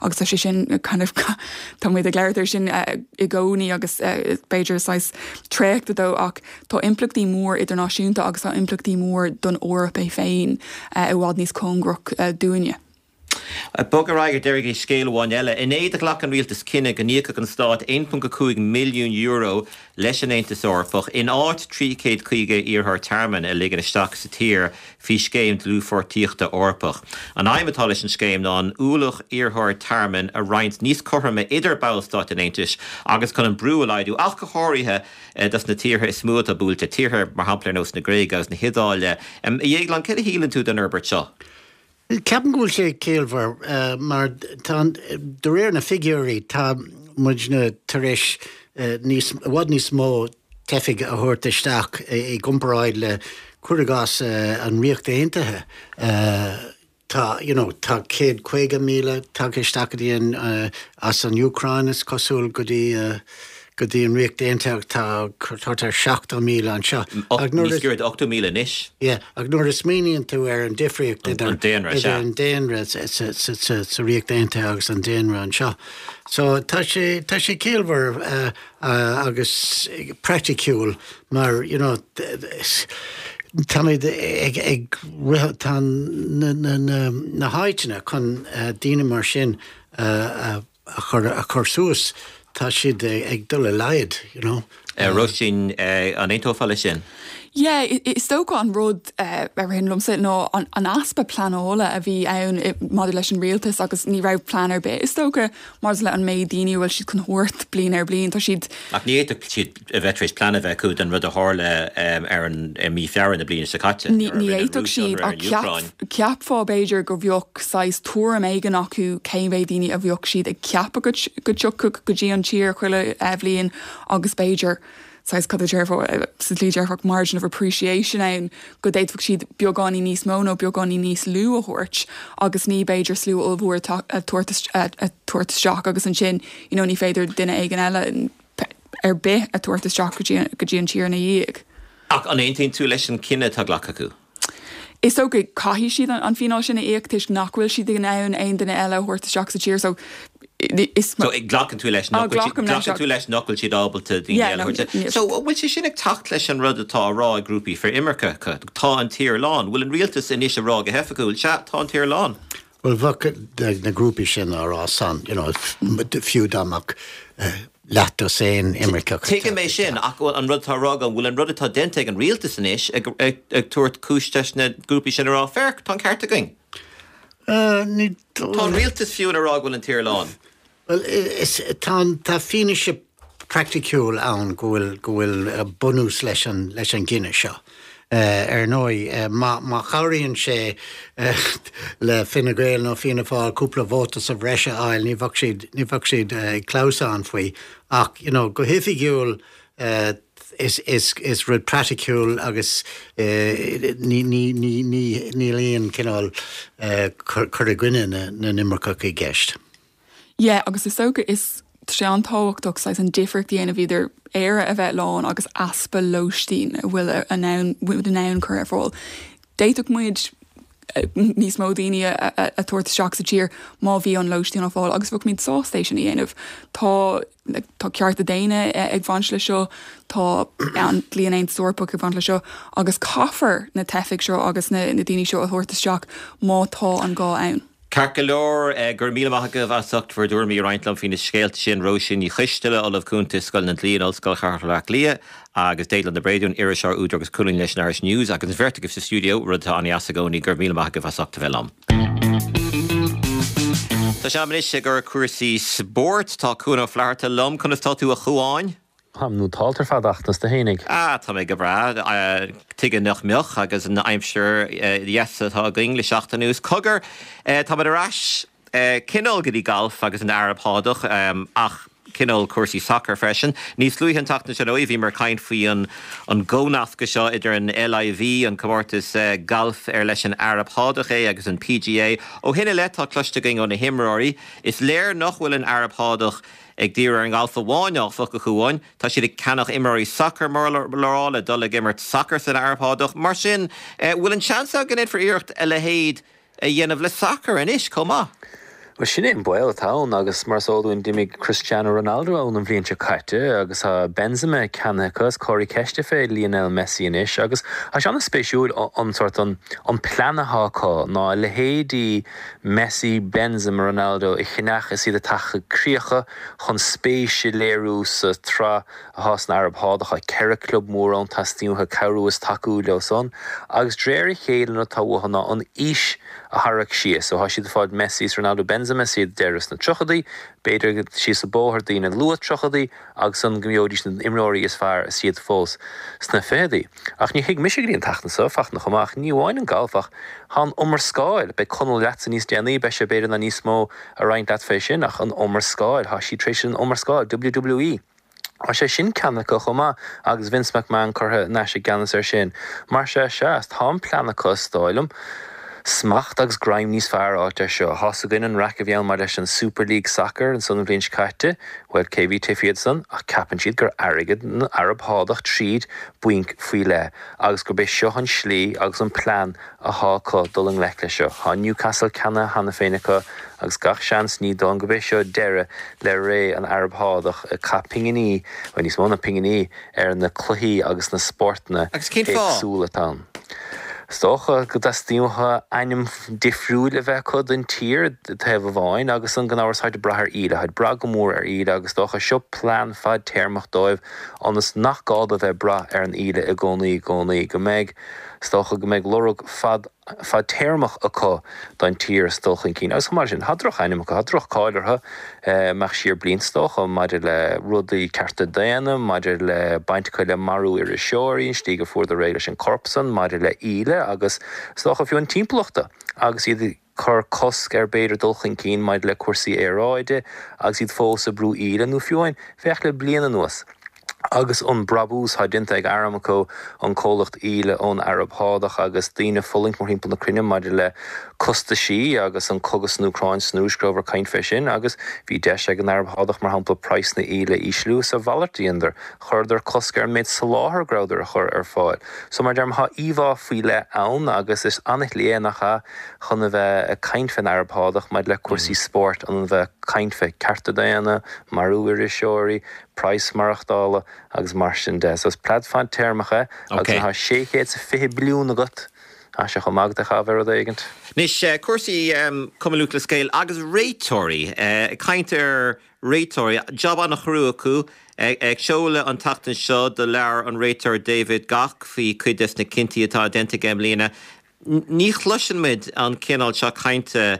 Agus tá sé sin kind of tá muid ag labhairt air sin i gcónaí agus b'fhéidir saghas traochta dó ach tá impleachtaí mór idirnáisiúnta agus tá impleachtaí mór don Eoraip é féin i bhfad níos cóngarach dúinne. Bog ar aghaidh ar deireadh go dtí scéal amháin eile. Inné do ghlac an rialtas cinneadh go n-íocfadh an stát €1.5 milliún leis an Aontas Eorpach in áit 350 iarrthóir tearmainn a ligean isteach sa tír faoi Scéim Dlúthpháirtíochta Eorpach. An aidhm atá leis an scéim ná an ualach iarrthóirí tearmainn a roinnt níos cothroime idir ballstáit an Aontais agus chun an brú a laghdú, ach go háirithe dos na tíortha is mó atá buailte, tíortha mar shampla ar nós na Gréige agus na hIodáile. A Dhéagláin, céard a shíleann tú den fhorbairt seo? Ceapaim go bhfuil sé ciallmhar mar tá, de réir na figiúirí, tá muidne tar éis níos, i bhfad níos mó teifigh a thabhairt isteach i gcomparáid le, cuir i gcás, an Ríocht Aontaithe. Tá, you know, tá 150,000 tagtha isteach go dtí an, as an Úcráin is cosúil go dtí, go dtí an Ríocht Aontaithe ach tá thart ar 70,000 anseo. Ach nuair a. Níos giorra d'80,000 anois. Yeah, ach nuair a smaoiníonn tú ar an difríocht idir an daonra, idir an daonra sa Ríocht Aontaithe agus an daonra anseo. So tá sé, tá sé ciallmhar agus praiticiúil mar, you know, táimid ag, ag rith, tá na, na, na, na háiteanna chun daoine mar sin a, a chur, a chur suas, tá siad ag dul i laghad, you know. Róisín, an aontófá leis sin? Yeah, is dócha an rud a ritheann liomsa ná an easpa pleanála a bhí ann maidir leis an rialtas agus ní raibh plean ar bith, is dócha, maidir le an méid daoine a bhfuil siad chun thabhairt bliain ar bhliain. Tá siad. Ach ní fhéadfadh siad a bheith tar éis plean a bheith acu don rud a tharla ar an, i mí Feabhra na bliana seo caite, Ní nuair a rinne an fhéadfadh Rúis siad ionradh ar ach an Úcráin. cheapfá b'fhéidir go bheadh saghas tuairim éigin acu cén mhéad daoine a bheadh siad ag ceapadh go go dtiocfadh go dtí an tír chuile bhliain agus b'fhéidir saghas cad a déarfá sa tslí dearfach margin of appreciation ann go d'fhéadfadh siad beagáinín níos mó nó beagáinín níos lú a thabhairt agus ní b'fhéidir slua ollmhór a tabhairt isteach agus ansin you know ní féidir duine éigin eile ar bith a tabhairt isteach go dtí go dtí an tír ina dhiaidh. Ach an aontaíonn tú leis an cinneadh atá glactha acu? Is dócha caithfidh siad an fíneáil sin a íoc toisc nach bhfuil siad in ann aon duine eile a thabhairt isteach sa tír so. Is. So glacann tú leis nach bhfuil siad, glacann tú leis nach bhfuil siad ábalta daoine eile a thabhairt. So an bhfuil sé sin ag teacht leis an rud atá á rá ag grúpaí frith-imirceacha? Tá an tír lán. Bhfuil an rialtas anois ag rá go hoifigiúil, sea, tá an tír lán? Bhuel, bheadh na grúpaí sin á rá san, you know, fiú dá mbeadh leathdosaen imirceach. Tuigim é sin, ach an rud atá á rá agam, bhfuil an rud atá déanta ag an rialtas anois ag tabhairt cúis leis na grúpaí sin a rá, féach, tá an ceart againn? Ní Tá an rialtas fiú ag rá go bhfuil an tír lán. Bhuel, is, tá, tá fianaise praiticiúil ann go bhfuil, go bhfuil bunús leis an, leis an gcinneadh seo. Ar ndóigh, má, má chabhraíonn sé le Fine Gael nó Fianna Fáil cúpla vóta sa bhreis a fháil, ní bheadh siad, ní bheadh siad ag clamhsán faoi. Ach, you know, go hoifigiúil, is, is, is rud praiticiúil agus ní, ní, ní, ní, níl aon cineál cur, cur i gcoinne na, na n-imirceach i gceist. Yeah, agus is dócha is tá sé an-tábhachtach saghas an difríocht a dhéanamh idir Éire a bheith lán agus easpa lóistín a bhfuil in ann muid in ann cur ar fáil. D'fhéadfadh muid níos mó daoine a thabhairt isteach sa tír má bhí an lóistín á fáil agus bheadh muid sásta é sin a dhéanamh. Tá tá cearta daonna ag baint le seo, tá an dlí an Aontas Eorpach ag baint le seo agus caithfear na teifigh seo agus na daoine seo a thabhairt isteach má tá an gá ann. Ceart go leor, go raibh míle maith agaibh as ucht bhur dtuairimí a roinnt liom faoi na scéalta sin, Róisín Ní Choisteala, Ollamh Cúnta i Scoil na Dlí in Ollscoil Chathair Bhaile Átha Cliath, agus Déaglán de Bréadún, iriseoir, údar agus colúnaí leis an Irish News, agus an bheirt agaibh sa stiúideo, rud atá an-deas i gcónaí. Go raibh míle maith agaibh as ucht a bheith liom. Tá sé in am anois ag cur cúrsaí spóirt. Tá Cuan Ó Flatharta liom. Conas tá tú a Chuáin? Táim nótálta ar fad Fhachtna, is tú fhéinig? Ah, tá mé go breá. Tuige nach mbeadh agus an aimsir dheas atá againn le seachtain anuas. Cogar, táimid ar ais cineál go dtí galf agus an Araib Shádach, ach cineál cúrsaí sacair freisin. Níos luaithe an tseachtain seo, ar ndóigh, bhíomar ag caint faoi an gcomhnascadh seo idir an LIV, an comórtas gailf ar leis an Araib Shádach é, agus an PGA. Ó shin i leith, tá cloiste againn ó na himreoirí. Is léir nach bhfuil an Araib Shádach Ag díriú ar an ngalf amháin, áfach, a Chuáin, tá siad ag ceannach imreoirí sacair, mór le rá, le dul ag imirt sacair san Araib Shádach. Mar sin, bhfuil an seans ann go ndéanfar iarracht a leithéid a dhéanamh le sacar anois chomh maith? Bhuel, sin é an baol atá ann agus mar is eol dúinn d'imigh Cristiano Ronaldo ann an bhliain seo caite agus tá Benzema ceannaithe acu is comhartha ceiste fé Lionel Messi anois agus tá sé an-spéisiúil an sórt an plean atá acu ná a leithéidí Messi, Benzema, Ronaldo a cheannach is iad ag teacht chuig críocha chun spéis a léiriú sa tsraith atá san Araib Shádach. Tá 4 club mór ann, teastaíonn uathu cabhrú is tacú leo san agus de réir a chéile an rud atá uathu ná an aois a tharrac síos. So tá siad ag fáil Messi is Ronaldo, Benzema is iad deireadh sna tríochadaí, b'fhéidir síos an bóthar daoine luath tríochadaí agus an go mbeidís na imreoirí is fearr is iad fós sna ficheadaí. Ach níor thuig mise go dtí an tseachtain seo, Fachtna chomh maith, ach ní amháin an galf ach tá an iomrascáil, beidh Conall leatsa níos déanaí, beidh sé b'fhéidir in ann níos mó a roinnt leat fé sin, ach an iomrascáil, tá siad tar éis an iomrascáil, WWE, tá sé sin ceannaithe acu chomh maith agus Vince McMahon curtha in ais i gceannas air sin. Mar sea, sea, tá an plean acu, is dóigh liom. Smacht agus greim níos fearr a fháilt air seo. Tá's againn an raic a bhí ann maidir leis an Super League Sacair ansan an bhliain seo caite. Bhuel, cé bhí taobh thiar de san? Ach ceapann siad gur airgead na Araib Shádach tríd bainc faoi leith agus gurb é seo an slí agus an plean athá acu dul i ngleic leis seo. Tá Newcastle ceannaithe cheana féin acu agus gach seans ní dóigh liom gurb é seo deireadh le ré an Araib Shádach ag caitheamh pinginí, bhuel níos mó ná pinginí, ar na cluichí agus na spórtanna Agus cén fáth? éagsúla atá ann. Is dócha go dteastaíonn uathu ainm difriúil a bheith acu don tír, taobh amháin, agus an gan amhras táid ag brath ar íle, táid ag brath go mór ar íle agus is dócha seo plean fadtéarmach dóibh ionas nach gá dóibh bheith ag brath ar an íle i gcónaí i gcónaí, go mbeidh, is dócha go mbeidh lorg fad. fadtéarmach acu don tír is dul chun cinn. Agus chomh maith leis sin, tá droch-ainm acu, tá droch-cáil orthu, imeacht siar blianta is dócha, maidir le rudaí cearta daonna, maidir le baint acu le marú iriseoirí, an slí gur fuaireadar réidh leis an corp san, maidir le íle agus is dócha fiú an timpeallachta agus iad ag cur cosc ar b'fhéidir dul chun cinn maidir le cúrsaí aeráide agus iad fós ag brú íle nó fiú amháin féach le bliain anuas. agus an brabús thá déanta ag Aramco, an comhlacht íle ón Araib Shádach, agus daoine ag fulaingt mórthimpeall na cruinne maidir le costaisí agus an cogadh san Úcráin, san Rúis, go rabhadar ag caint fé sin, agus bhí deis ag an Araib Shádach, mar shampla, praghas na íle a ísliú, is a mhalairt a dheineadar, chuireadar cosc ar an méid soláthair go rabhadar a chur ar fáil. So, mar a deirim, thá íomhá faoi leith ann, agus is ana-shlí é, nach ea, chun a bheith ag caint fén Araib Shádach maidir le cúrsaí spóirt, an a bheith. Caint fé cearta daonna, marú iriseoirí, praghas maireachtála agus mar sin de. So is pleid fadtéarmach é agus nuair atá 620 billiún agat, tá sé chomh maith agat é a chaitheamh ar rud éigint. Anois, cúrsaí Cumann Lúthchleas Gael agus réiteoirí. Ag caint ar réiteoirí, jab an-chrua acu. Ag seoladh an tseachtain seo do leabhar an réiteoir David Gough faoi cuid des na cinntí atá déanta aige i mbliana. Ní chloiseann muid an cineál seo cainte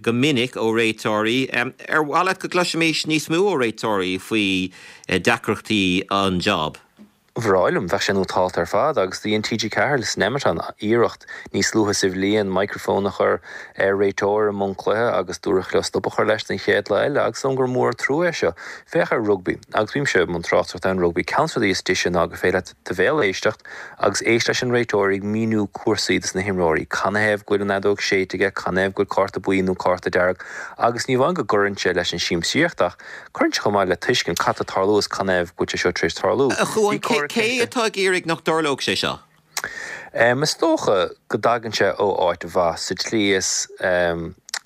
go minic ó réiteoirí. Ar mhaith leat go gcloisfimis níos mó ó réiteoirí faoi deacrachtaí an job? Ba bhreá liom, bheadh sé nótálta ar fad agus do dhein TG4 san Nemeton iarracht níos luaithe sa bhliain microphone a chur ar réiteoir i mbun cluiche agus dúradh leo stop a chur leis don chéad lá eile agus is dóigh liom gur mór an trua é seo. Féach ar rugbaí agus bímse i mbun tráchtaireachta ar an rugbaí, ceann de na rudaí is deise ná gur féidir leat do bhéal a éisteacht agus éist leis an réiteoir ag míniú cúrsaí dos na himreoirí, canathaobh go bhfuil an fheadóg séidte aige, canathaobh go bhfuil cárta buí nó cárta dearg agus ní amháin go gcuireann sé leis an siamsaíocht ach Cuireann sé chomh maith le tuiscint cad tá ag tarlú is canathaobh go bhfuil sé seo tar éis tarlú. A Chuáin, cé atá ag iarraidh nach dtarlódh sé seo? Is dócha go dtagann sé ó áit mhaith sa tslí is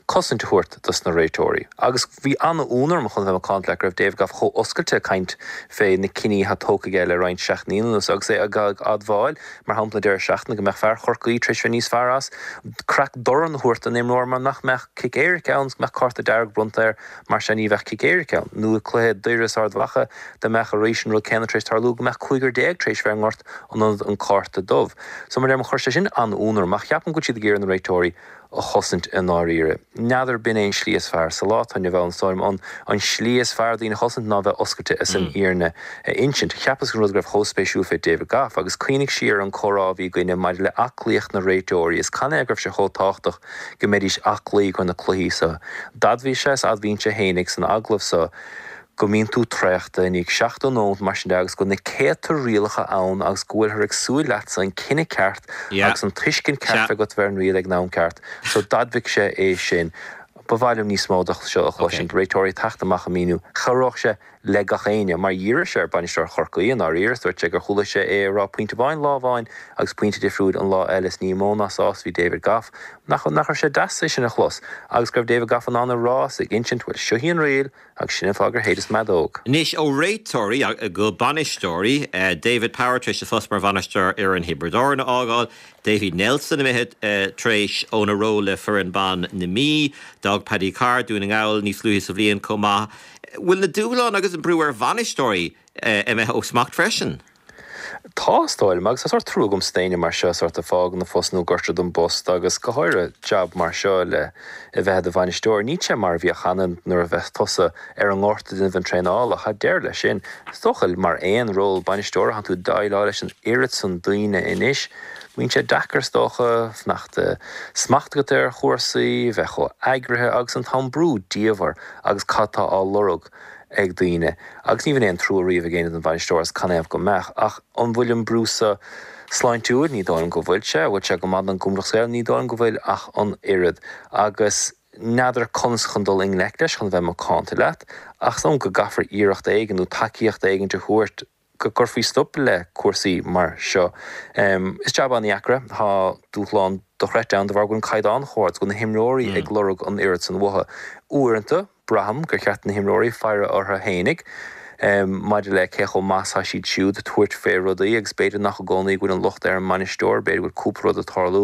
cosaint a thabhairt dos na réiteoirí. Agus bhí an-ionadh orm chun a bheith macánta leat go raibh David Gough chomh oscailte ag caint fé na cinní atá tógtha aige le roinnt seachtainí anuas agus é ag admháil, mar shampla an deireadh seachtaine, go mbeadh fear Chorcaí tar éis bheith níos fearr as craic dorn a thabhairt don imreoir mar nach mbeadh cic éirice ann is go mbeadh cárta dearg bronnta air. Mar sin ní bheadh cic éirice ann. Nó i gcluiche Doire is Ard Mhacha, dá mbeadh arís an rud céanna tar éis tarlú, go mbeadh cúigear tar éis bheith i ngort in ionad an cárta dubh. So mar a deirim, chuir sé sin an-ionadh orm, ach ceapaim go bhfuil siad ag iarraidh na réiteoirí a chosaint i ndáiríre. N'fheadar b'in é an slí is fearr. Sa lá atá inniu ann, is dóigh liom, an an slí is fearr daoine a chosaint ná bheith oscailte is an fhírinne a insint. Cheapas an rud go raibh chomh spéisiúil fé David Gough, agus cuimhnigh siar ar an comhrá a bhí againne maidir le aclaíocht na réiteoirí is canathaobh go raibh sé chomh tábhachtach go mbeidís aclaí do na cluichí so. D'admhaigh sé is admhaíonn sé fhéinig san agallamh so go mbíonn tú traochta i ndiaidh 70 nóimeat mar sin de agus go bhfuil na céadta rialacha ann agus go bhfuilthear ag súil leatsa an cinneadh ceart agus an tuiscint ceart bheith agat ar an riail ag an am ceart. So d'admhaigh sé é sin. Ba mhaith liom níos mó de seo a chloisint, réiteoirí ag teacht amach ag míniú. Chabhródh sé le gach éinne, mar dhíorfaidh sé ar bainisteoir Chorcaí i ndáiríre is dúirt sé gur chuala sé é ag rá pointe amháin lá amháin agus pointe difriúil an lá eile is ní mó ná sásta a bhí David Gough. Nach nach raibh sé deas é sin a chlos agus go raibh David Gough in ann a rá is ag insint bhuel seo í an riail agus sin an fáth gur shéideas m'fheadóg. Anois ó réiteoirí go bainisteoirí, David Power tar éis a phost mar bhainisteoir fhoireann Thiobraid Árann a fhágáil, Davy Nelson imithe tar éis óna ról le foireann ban na Mí, d'fhág Paddy Carr Dún na nGall níos luaithe sa bhliain chomh maith. Bhfuil na dúshláin agus an brú ar bhainisteoirí imithe ó smacht freisin? Tá, is dóigh liom, agus tá sórt trua agamsa d'éinne mar seo sórt ag fágáil an phost nó gortú don bpost agus go háirithe jab mar seo le a bheith i do bhainisteoir. Níl sé mar a bhíodh cheana nuair a bheadh tusa ar an ngort ag déanamh an traenála. Tá deireadh leis sin. Is dócha mar aon ról bainisteora tánn tú ag déileáil leis an oiread san daoine anois. Bíonn sé deacair is dócha fanacht smacht agat ar chúrsaí, bheith chomh eagraithe agus an t-am brú diamhair agus cad tá á lorg ag daoine. Agus ní bhíonn aon trua riamh ag éinne don bhainisteoir is canathaobh go mbeadh. Ach an bhfuil an brú so sláintiúil? Ní dóigh liom go bhfuil sé. An bhfuil sé go maith don Gcumann Lúthchleas Gael? Ní dóigh liom go bhfuil ach an oiread. Agus n'fheadar conas chun dul i ngleic leis chun a bheith macánta leat. Ach is dóigh liom go gcaithfear iarracht éigin nó tacaíocht éigin a thabhairt go gcuirfí stop le cúrsaí mar seo. Is jab an-dheacair é. Tá dúshlán dochreidte ann de bharr go bhfuil an caighdeán chomh hard, go bhfuil na himreoirí ag lorg an oiread san uathu. Uaireanta, braithim gur cheart do na himreoirí faire orthu fhéinig maidir le cé chomh maith is atá siad siúd ag tabhairt fé rudaí agus b'fhéidir nach i gcónaí go bhfuil an locht ar an mbainisteoir, b'fhéidir go bhfuil cúpla rud ag tarlú.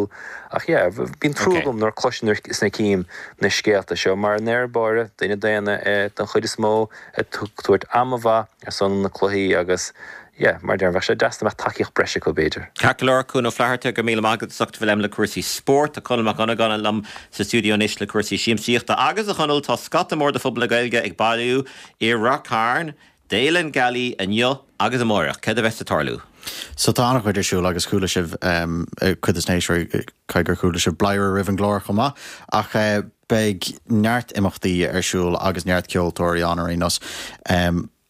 Ach yeah, bíonn trua agam nuair a cloisim is nuair a cím na scéalta seo mar i ndeireadh báire, duine daonna é den chuid is mó ag tabhairt ama mhaith ar son na cluichí agus yeah, mar a deirim, bheadh sé deas dá mbeadh tacaíocht breise acu b'fhéidir. Ceart go leor, Cuan Ó Flatharta, go raibh míle maith agat as ucht a bheith liom le cúrsaí spóirt. Tá Conall Mac Dhonnagáin liom sa stiúideo anois le cúrsaí siamsaíochta. Agus, a Chonaill, tá scata mór de phobal na Gaeilge ag bailiú i Ráth Cairn d'Fhéile na Gealaí inniu agus amáireach. Céard a bheas ag tarlú? So tá an-chuid ar siúl agus chuala sibh, cuid des na héisteoirí, caithfidh gur chuala sibh bladhaire roimh an gclár chomh maith, ach Beidh neart imeachtaí ar siúl agus neart ceoltóirí ann ar aon nós.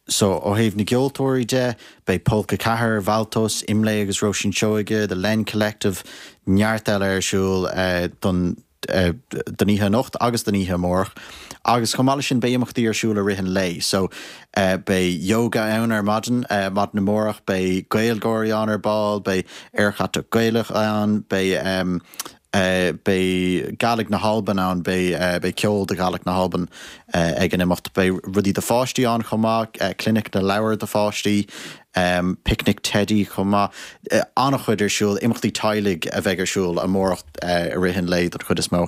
So, ó thaobh na gceoltóirí de, beidh Polca 4, Valtos, Imlé agus Róisín Seoige, The Len Collective, neart eile ar siúl don don oíche anocht agus don oíche amárach. Agus chomh maith leis sin, beidh imeachtaí ar siúl i rith an lae. So, beidh yoga ann ar maidin, maidin amárach, beidh Gaelgáirí ann ar ball, beidh Aerchatach Gaelach ann, beidh. Beidh Gàidhlig na hAlban ann, beidh ceol de Ghàidhlig na hAlban ag an imeacht. Beidh rudaí do pháistí ann chomh maith, clinic na leabhar do pháistí, picnic teidí chomh maith. An-chuid ar siúl, imeachtaí teaghlaigh a bheidh ar siúl amárach i rith an lae don chuid is mó,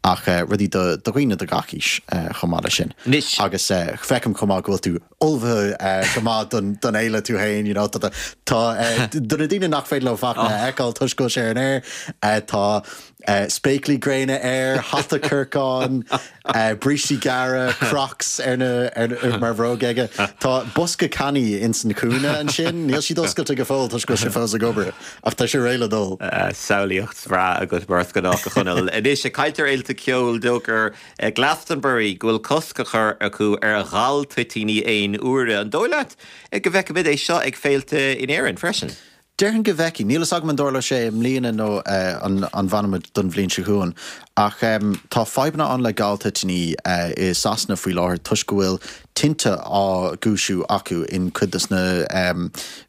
ach rudaí do dhaoine de gach aois chomh maith leis sin. Agus feicim chomh maith go bhfuil tú ullmhaithe go maith don fhéile tú féin, you know, tá, tá, do na daoine nach féidir leo Fachtna a fheiceáil toisc go bhfuil sé ar an aer, tá spéaclaí gréine air, hata corcáin, brístí gearra, Crocs ar na, ar, mar bhróg aige. Tá bosca cannaí ins an chúinne ansin, níl siad oscailte go fóill toisc go bhfuil sé fós ag obair, ach tá sé réidh le dul. Samhlaíocht bhreá agat mar is gnách, a Chonaill. Anois, ag caint ar fhéilte ceoil, d'fhógair Glastonbury go bhfuil cosc á chur acu ar ghal-toitíní aon uaire. An dóigh leat go bhfeicfimid é seo ag féilte in Éirinn freisin? Déarfainn go bhfeicfidh. Níl fhios agam an dtarlóidh sé i mbliana nó an bhfanfaimid don bhliain seo chugainn. Ach tá fadhbanna ann le gal-toitíní i Sasana faoi láthair toisc go bhfuil tinte á gcúisiú acu in cuid des na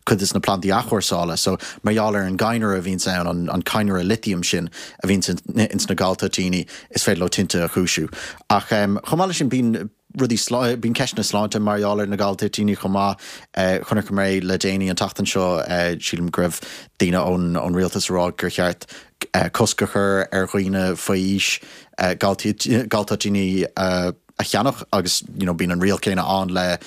cuid des na plandaí athchúrsála. So mar gheall ar an gcadhnra a bhíonns ann, an an cadhnra lithium sin a bhíonns ins na galtoitíní, is féidir leo tinte a chúisiú. Ach chomh maith leis sin bíonn rudaí bíonn ceisteanna sláinte mar gheall ar na galtoitíní chomh maith. Chonaic mé le déanaí an tseachtain seo, sílim go raibh daoine ón ón rialtas ag rá gur cheart cosc a chur ar dhaoine faoi aois galtoitíní a a cheannach agus you know bíonn an riail céanna ann le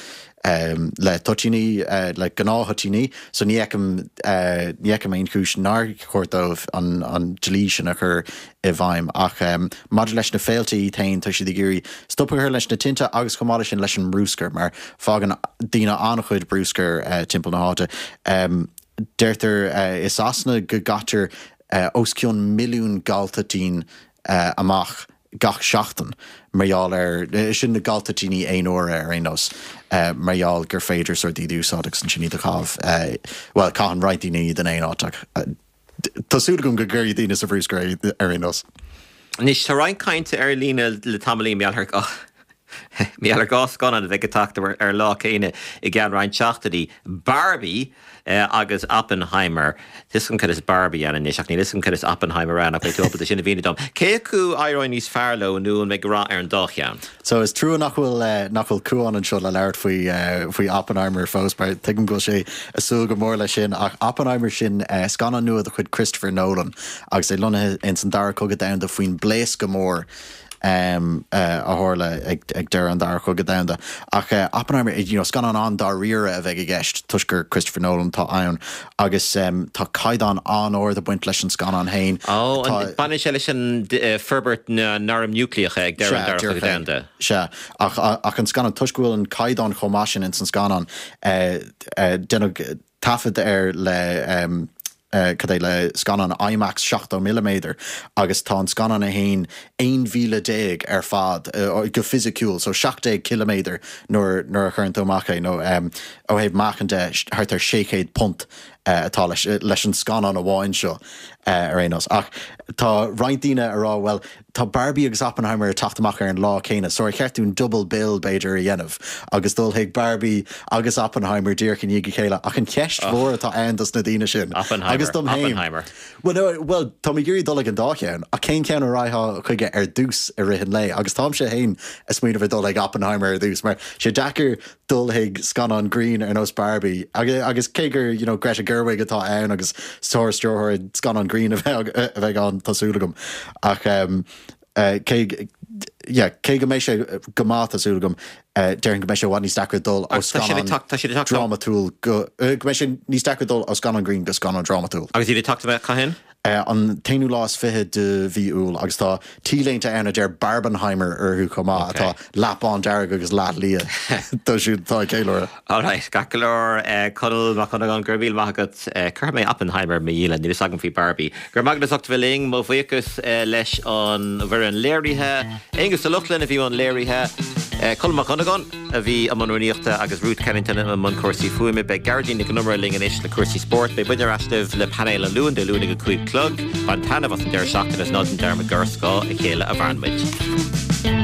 le toitíní, le gnáth-thoitíní so ní fheicim ní fheicim aon chúis nár chóir dóibh an an dlí sin a chur i bhfeidhm ach maidir leis na féilte iad féin tá siad ag iarraidh stop a chur leis na tinte agus chomh maith leis sin leis an mbrúscar mar fágann daoine an-chuid brúscair timpeall na háite. Deirtear i Sasana go gcaitear os cionn milliún galtoitín amach gach seachtain mar gheall ar, sin na galtoitíní aon uaire ar aon nós, mar gheall gur féidir sórt iad a úsáid agus ansin iad a chaitheamh, bhuel, caitheann roinnt daoine iad in aon áit ach tá súil agam go gcuirfidh daoine sa bhrúscar é ar aon nós. Anois, tá roinnt cainte ar líne le tamaillín mar gheall ar, mar gheall ar dhá scannán a bheidh ag teacht ar an lá céanna i gceann roinnt seachtainí, Barbie agus Oppenheimer. Tá 'fhios agam cad is Barbie ann anois ach níl 'fhios agam cad is Oppenheimer ann ach beidh tú ábalta sin a mhíniú dom. Cé acu a éireoidh níos fearr leo nó an mbeidh rath ar an dá cheann? So is trua nach bhfuil nach bhfuil Cuán anseo le labhairt faoi faoi Oppenheimer fós mar tuigim go bhfuil sé ag súil go mór leis sin ach Oppenheimer sin scannán nua de chuid Christopher Nolan agus é lonnaithe ins an Dara Cogadh Domhanda faoin bpléascadh mór a tharla ag deireadh an Dara Cogadh Domhanda. Ach Oppenheimer, you know, scannán an-dáiríre a bheidh i gceist toisc gur Christopher Nolan atá ann agus tá caighdeán an-ard ag baint leis an scannán féin. Ó, baineann sé leis an forbairt na n-arm núicléacha ag deireadh an Dara Cogadh Domhanda. Sea, ach ach an scannán, toisc go bhfuil an caighdeán chomh maith sin ins an scannán, déanadh taifead air le cad é, le scannán IMAX 70 milliméadar agus tá an scannán é féin 11 mhíle ar fad go fisiciúil, so 17 ciliméadar nuair nuair a chuireann tú amach é, nó ó thaobh meáchain de thart ar 600 punt atá leis leis an scannán amháin seo ar aon nós. Ach tá roinnt daoine ag rá bhuel Tá Barbie agus Oppenheimer ag teacht amach ar an lá céanna, so ar cheart dúinn double bill, b'fhéidir, a dhéanamh agus dul chuig Barbie agus Oppenheimer díreach i ndiaidh a chéile? Ach an cheist mhór atá ann dos na daoine sin, agus dom féin, bhuel, no, bhuel, táim ag iarraidh dul ag an dá cheann, ach cén ceann a raghfá chuige ar dtús i rith an lae? Agus táimse féin ag smaoineamh ar dul ag Oppenheimer ar dtús, mar sé deacair dul chuig scannán grinn ar nós Barbie agus cé gur you know Greta Gerwig atá ann agus sár-stiúrthóir scannán grinn a bheidh a bheidh ann tá súil agam ach um, uh, cé yeah, cé go mbeidh sé go maith tá súil agam uh, déarfainn go mbeidh sé i bhfad níos deacra dul ó scannán drámatúil go uh, go mbeidh sé níos deacra dul ó scannán grinn go scannán drámatúil. Agus iad ag teacht amach cathain? An t-aonú lá is fiche de mhí Iúil agus tá T-léinte ann a deir Barbenheimer orthu chomh maith, atá leath bándearg agus leath liath dóibh siúd atá ag ceiliúradh. Alright, ceart go leor, Conall Mac Dhonnagáin, go raibh míle maith agat. Cuirfidh mé Oppenheimer i mo dhialann, níl fhios agam faoi Barbie. Go raibh maith agat as ucht a bheith linn, mo bhuíochas leis an bhfoireann léirithe, Aonghus Ó Lochlainn a bhí i mbun léirithe, Conall Mac Dhonnagáin. a bhí i mbun rúnaíochta agus Ruth Kennington i mbun cúrsaí fuaime. Beidh Gearóidín Nic Con Iomaire linn anois le cúrsaí spóirt. Beidh muidne ar ais libh le painéal an Luain, Dé Luain ag a 5 chlog. Bain taitneamh as an deireadh seachtaine is ná déan dearmad gur ar scáth a chéile a mhaireann muid.